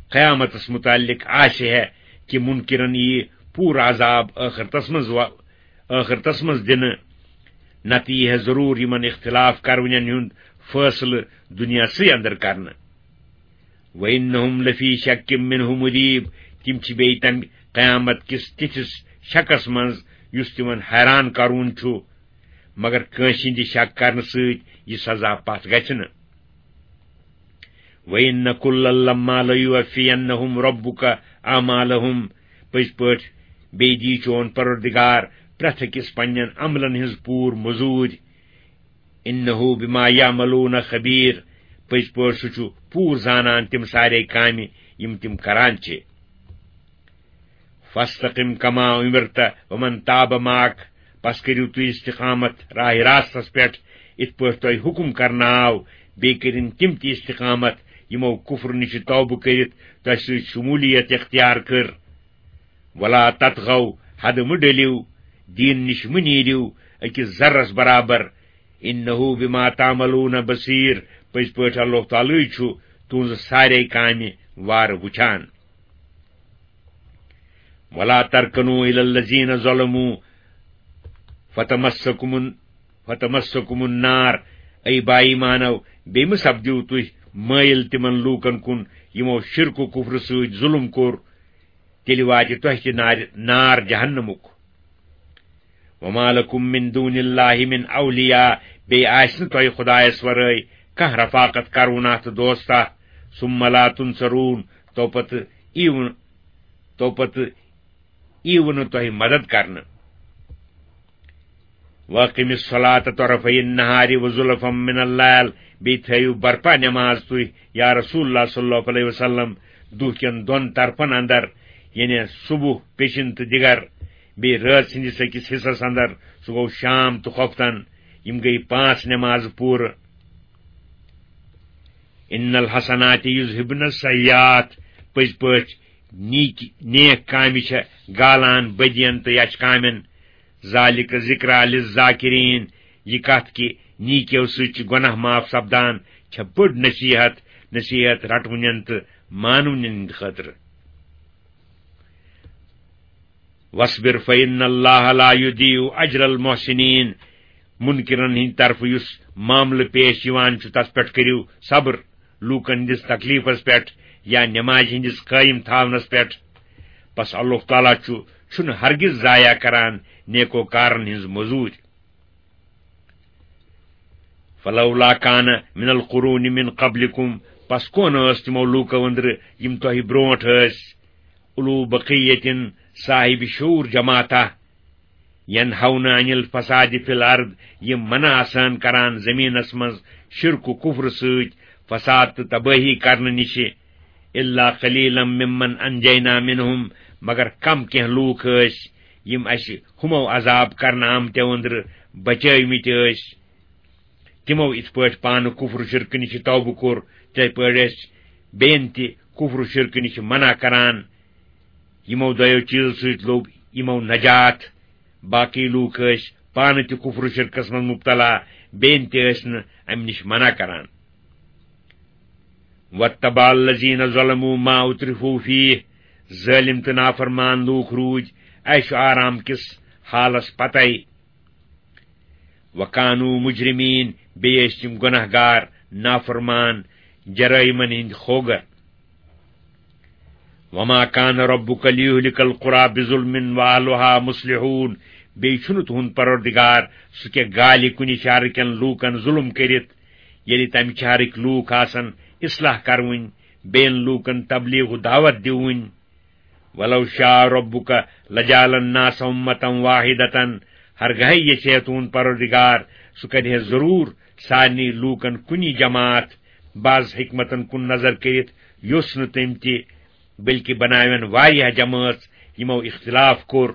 قیامتس متعلق آسہِ ہے کہِ مُنکِرن ییہِ پوٗرٕ عذاب ٲخرتس منٛز و-، ٲخرتس منٛز دِنہٕ، نتہٕ یی ہے ضروٗر یِمن اختلاف کرونٮ۪ن ہُنٛد فٲصلہٕ دُنیاہسٕے اندر کرنہٕ۔ وَإِنَّهُمْ لَفِي شَكٍّ مِّنْهُ مُرِيبٍ، تِم چھِ بیٚیہِ تَمہِ قیامت کِس تِتھِس شکس منٛز یُس تِمن حیران کرون چھُ، مگر کٲنٛسہِ ہٕنٛدِ شک کرنہٕ سۭتۍ یہِ سزا پتھ گژھِ نہٕ۔ وَإِنَّ كُلًّا لَمَّا لَيُوَفِّيَنَّهُمْ رَبُّكَ أَعْمَالَهُمْ، پٔزۍ پٲٹھۍ بیٚیہِ دی چون پروردگار پرٛٮ۪تھ أکِس پننٮ۪ن عملن ہٕنٛز پوٗرٕ مٔزوٗرۍ۔ انہ بما یعملون خبیر، پٔزۍ پٲٹھۍ سُہ چھُ پوٗرٕ زانان تِم سارے کامہِ یِم تِم کران چھِ۔ فاستقم کما امرت ومن تاب معک، پس کٔرِو تُہۍ استقامت راہ راستس پٮ۪ٹھ، یِتھ پٲٹھۍ تۄہہِ حُکم کرنہٕ آو، بیٚیہِ کٔرِن تِم تہِ استقامت یِمو کفر نِش توبہٕ کٔرِتھ تۄہہِ سۭتۍ شمولیت اختیار کٔر۔ ولا تطغوا، حد مہٕ ڈٔلِو، دیٖن نِش مہٕ نیٖرِو أکِس ذرس برابر۔ انہ بما تعملون بصیر، پٔزۍ پٲٹھۍ اللہ تعالیٰ چھُ تُہنٛزٕ سارے کامہِ وارٕ وٕچھان۔ ولا ترکنوا الی الذین ظلموا فتمسکم فتمسکم النار، اے با ایمانو، بیٚیہِ مہٕ سپدِو تُہۍ مٲیِل تِمن لوٗکن کُن یِمو شرک و کفرٕ سۭتۍ ظلم کوٚر، تیٚلہِ واتہِ تۄہہِ تہِ نارِ، نار جہنمُک۔ وما لکم من دون اللہ من اولیاء، بیٚیہِ آسہِ نہٕ تۄہہِ خدایس ورٲے کانٛہہ رفاقت کروناہ تہٕ دوستاہ۔ ثم لا تنصرون، تو پتہٕ ییٖوٕ، تو پتہٕ ییٖوٕ نہٕ تۄہہِ مدد کرنہٕ۔ واقم الصلاة طرفی النہار وزلفا من اللیل، بیٚیہِ تھٲیِو برپا نماز تُہۍ یا رسول اللہ صلی اللہ علیہ وسلم دُہ کٮ۪ن دۄن طرفن اندر، یعنی صبح، پیٚشِن تہٕ دِگر، بیٚیہِ رٲژ ہٕنٛدِس أکِس حصس اندر، سُہ گوٚو شام تہٕ خۄفتن۔ یِم گٔیہِ پانٛژھ نمازٕ پوٗرٕ۔ ان الحسنات یذهبن السیئات، پٔزۍ پٲٹھۍ نیک، نیک کامہِ چھےٚ گالان بدین تہٕ یچھ کامٮ۪ن۔ ذالک ذکریٰ للذاکرین، یہِ کتھ کہِ نیکیو سۭتۍ چھِ گۄناہ معاف سپدان، چھےٚ بٔڑ نصیحت، نصیحت رٹونٮ۪ن تہٕ مانونٮ۪ن ہٕنٛدِ خٲطرٕ۔ واصبر فإن الله لا يضيع أجر المحسنين، منکرن ہٕنٛدِ طرفہٕ یُس معاملہٕ پیش یِوان چھُ، تس پٮ۪ٹھ کٔرِو صبر، لوٗکن ہٕنٛدِس تکلیفس پٮ۪ٹھ یا نمازِ ہٕنٛدِس قٲیِم تھاونس پٮ۪ٹھ۔ پس اللہ تعالیٰ چھُ، چھُنہٕ ہرگز ضایع کران نیکوکارن ہٕنٛز مٔزوٗرۍ۔ فلولا کان من القرون من قبلکم، پس کون ٲس تِمو لوٗکو أنٛدرٕ یِم تۄہہِ برونٛٹھ ٲسۍ، اولو بقیتن، صاحب شعور جماعتہ، ینہون عن الفساد فی الارض، یِم منع آسان کران زمینس منٛز شرک و کفر سۭتۍ فساد تہٕ تبٲہی کرنہٕ نِشہِ، الا قلیلا ممن انجینا منہم، مگر کم کینٛہہ لوٗکھ ٲسۍ یِم اسہِ ہُمو عذاب کرنہٕ آمتیو أنٛدرٕ بچٲومٕتۍ ٲسۍ۔ تِمو یِتھ پٲٹھۍ پانہٕ کفر و شرکہٕ نِش توبہٕ کوٚر، تِتھے پٲٹھۍ ٲسۍ بیٚین تہِ کفر و شرکہٕ نِش منع کران۔ یِمو دۄیو چیٖزو سۭتۍ لوٚب یِمو نجات۔ باقٕے لوٗکھ ٲسۍ پانہٕ تہِ کفر و شرکس منٛز مبتلا، بیٚین تہِ ٲسۍ نہٕ امہِ نِش منع کران۔ واتبع الذین ظلموا ما اترفوا فیہ، ظٲلم تہٕ نافرمان لوٗکھ روٗدۍ عیش و آرام کِس حالس پتے۔ وکانوا مجرمین، بیٚیہِ ٲسۍ تِم گۄناہ گار، نافرمان، جرٲیمن ہٕنٛدۍ خوگر۔ وما کان ربک لیہلک القری بظلم واہلها مصلحون، بیٚیہِ چھُنہٕ تُہُنٛد پروردگار سُہ کینٛہہ گالہِ کُنہِ شہرٕ کٮ۪ن لوٗکن ظلم کٔرِتھ، ییٚلہِ تمہِ شہرٕکۍ لوٗکھ آسن اصلاح کرٕوٕنۍ، بیٚین لوٗکن تبلیغ و دعوت دِوٕنۍ۔ ولو شاء ربک لجعل الناس امة واحدة، ہرگاہے یژھِ ہے تُہُنٛد پروردگار، سُہ کرِ ہے ضروٗر سارنٕے لوٗکن کُنی جماعت۔ بعض حکمتن کُن نظر کٔرِتھ یوٚژھ نہٕ تٔمۍ تہِ، بلکہِ بناون واریاہ جمٲژ یِمو اختلاف کوٚر۔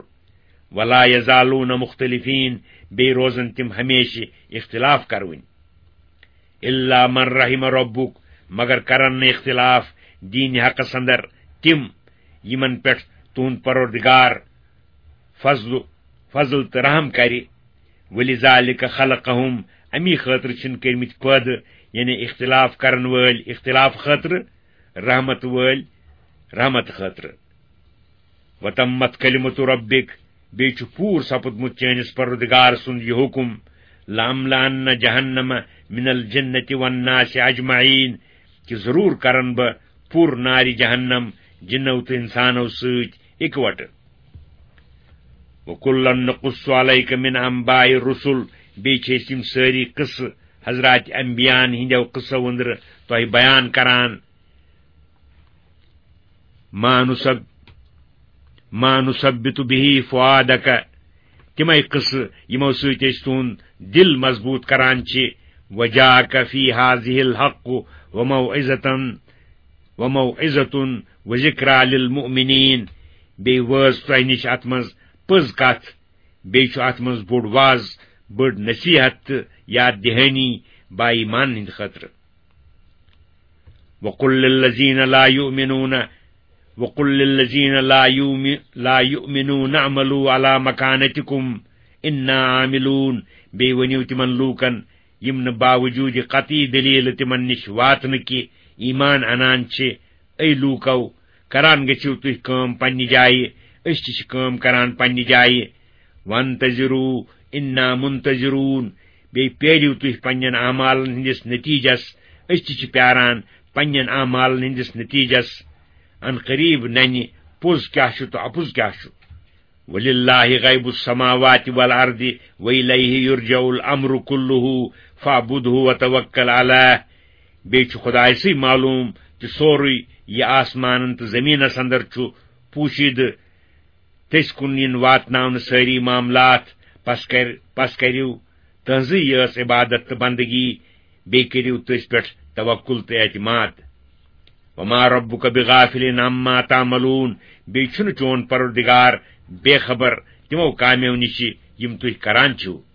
ولا یزالون مختلفین، بیٚیہِ روزن تِم ہمیشہِ اختلاف کروٕنۍ۔ الا من رحم ربک، مگر کرن نہٕ اختلاف دیٖن حقس اندر تِم یِمن پٮ۪ٹھ تُہُنٛد پروردگار فضل، فضل تہٕ رحم کرِ۔ ولذالک خلقہم، امی خٲطرٕ چھِن کٔرمٕتۍ پٲدٕ، یعنی اختلاف کرن وٲلۍ اختلاف خٲطرٕ، رحمت وٲلۍ رحمت خٲطرٕ۔ وتمت کلمت ربک، بیٚیہِ چھُ پوٗرٕ سپُدمُت چٲنِس پروردگار سُنٛد یہِ حُکم، لاملأن جہنم من الجنة والناس اجمعین، کہِ ضروٗر کرن بہٕ پوٗرٕ نارِ جہنم جِنو تہٕ اِنسانو سۭتۍ اِکوٹہٕ۔ وکلا نقص علیک من انباء الرسل، بیٚیہِ چھِ أسۍ یِم سٲری قصہٕ حضرات انبیاءن ہٕنٛدیو قصو أنٛدرٕ تۄہہِ بیان کران۔ ما نثب-، ما نثبت به فؤادک، تِمے قصہٕ یِمو سۭتۍ أسۍ تُہُنٛد دِل مضبوٗط کران چھِ۔ وجاءک فی ہذہ الحق وموعظۃ، وموعظۃ وذکریٰ للمؤمنین۔ بیٚیہِ وٲژ تۄہہِ نِش اتھ منٛز پٔز کتھ، بیٚیہِ چھُ اتھ منٛز بوٚڑ واز، بٔڑ نصیحت تہٕ یاد دہانی با ایمان ہٕنٛدِ خٲطرٕ۔ وقل للذین لا یؤمنون، وقل للذین لا یؤم-، لا یؤمنون اعملوا علی مکانتکم انا عاملون۔ بیٚیہِ ؤنِو تِمن لوٗکن، یِم نہٕ باوجوٗدِ قطعی دٔلیٖلہٕ تِمن نِش واتنہٕ کہِ ایمان اَنان چھِ، اے لوٗکو، کران گٔژھِو تُہۍ کٲم پننہِ جایہِ، أسۍ تہِ چھِ کٲم کران پننہِ جایہِ۔ وانتظروا انا منتظرون، بیٚیہِ پیٲرِو تُہۍ پننٮ۪ن اعمالن ہٕنٛدِس نتیٖجس، أسۍ تہِ چھِ پیاران پننٮ۪ن اعمالن ہٕنٛدِس نتیٖجس۔ ان قریب ننہِ پوٚز کیٛاہ چھُ تہٕ اپُز کیٛاہ چھُ۔ وللہ غیب السماوات والارض والیہ یرجع الامر کلہ فاعبدہ وتوکل علیہ۔ بیٚیہِ چھُ خدایسٕے معلوٗم تہِ سورُے یہِ آسمانن تہٕ زٔمیٖنس اندر چھُ پوٗشیدٕ۔ تٔسۍ کُن یِن واتناونہٕ سٲری معاملات۔ پس کر-، پس کٔرِو تٕہنٛزٕے یٲژ عبادت تہٕ بندگی، بیٚیہِ کٔرِو تٔسۍ پٮ۪ٹھ توکل تہٕ اعتماد۔ وما ربک بغافل عما تعملون، بیٚیہِ چھُنہٕ چون پروردگار بے خبر تِمو کامیو نِشہِ یِم تُہۍ کران چھِو۔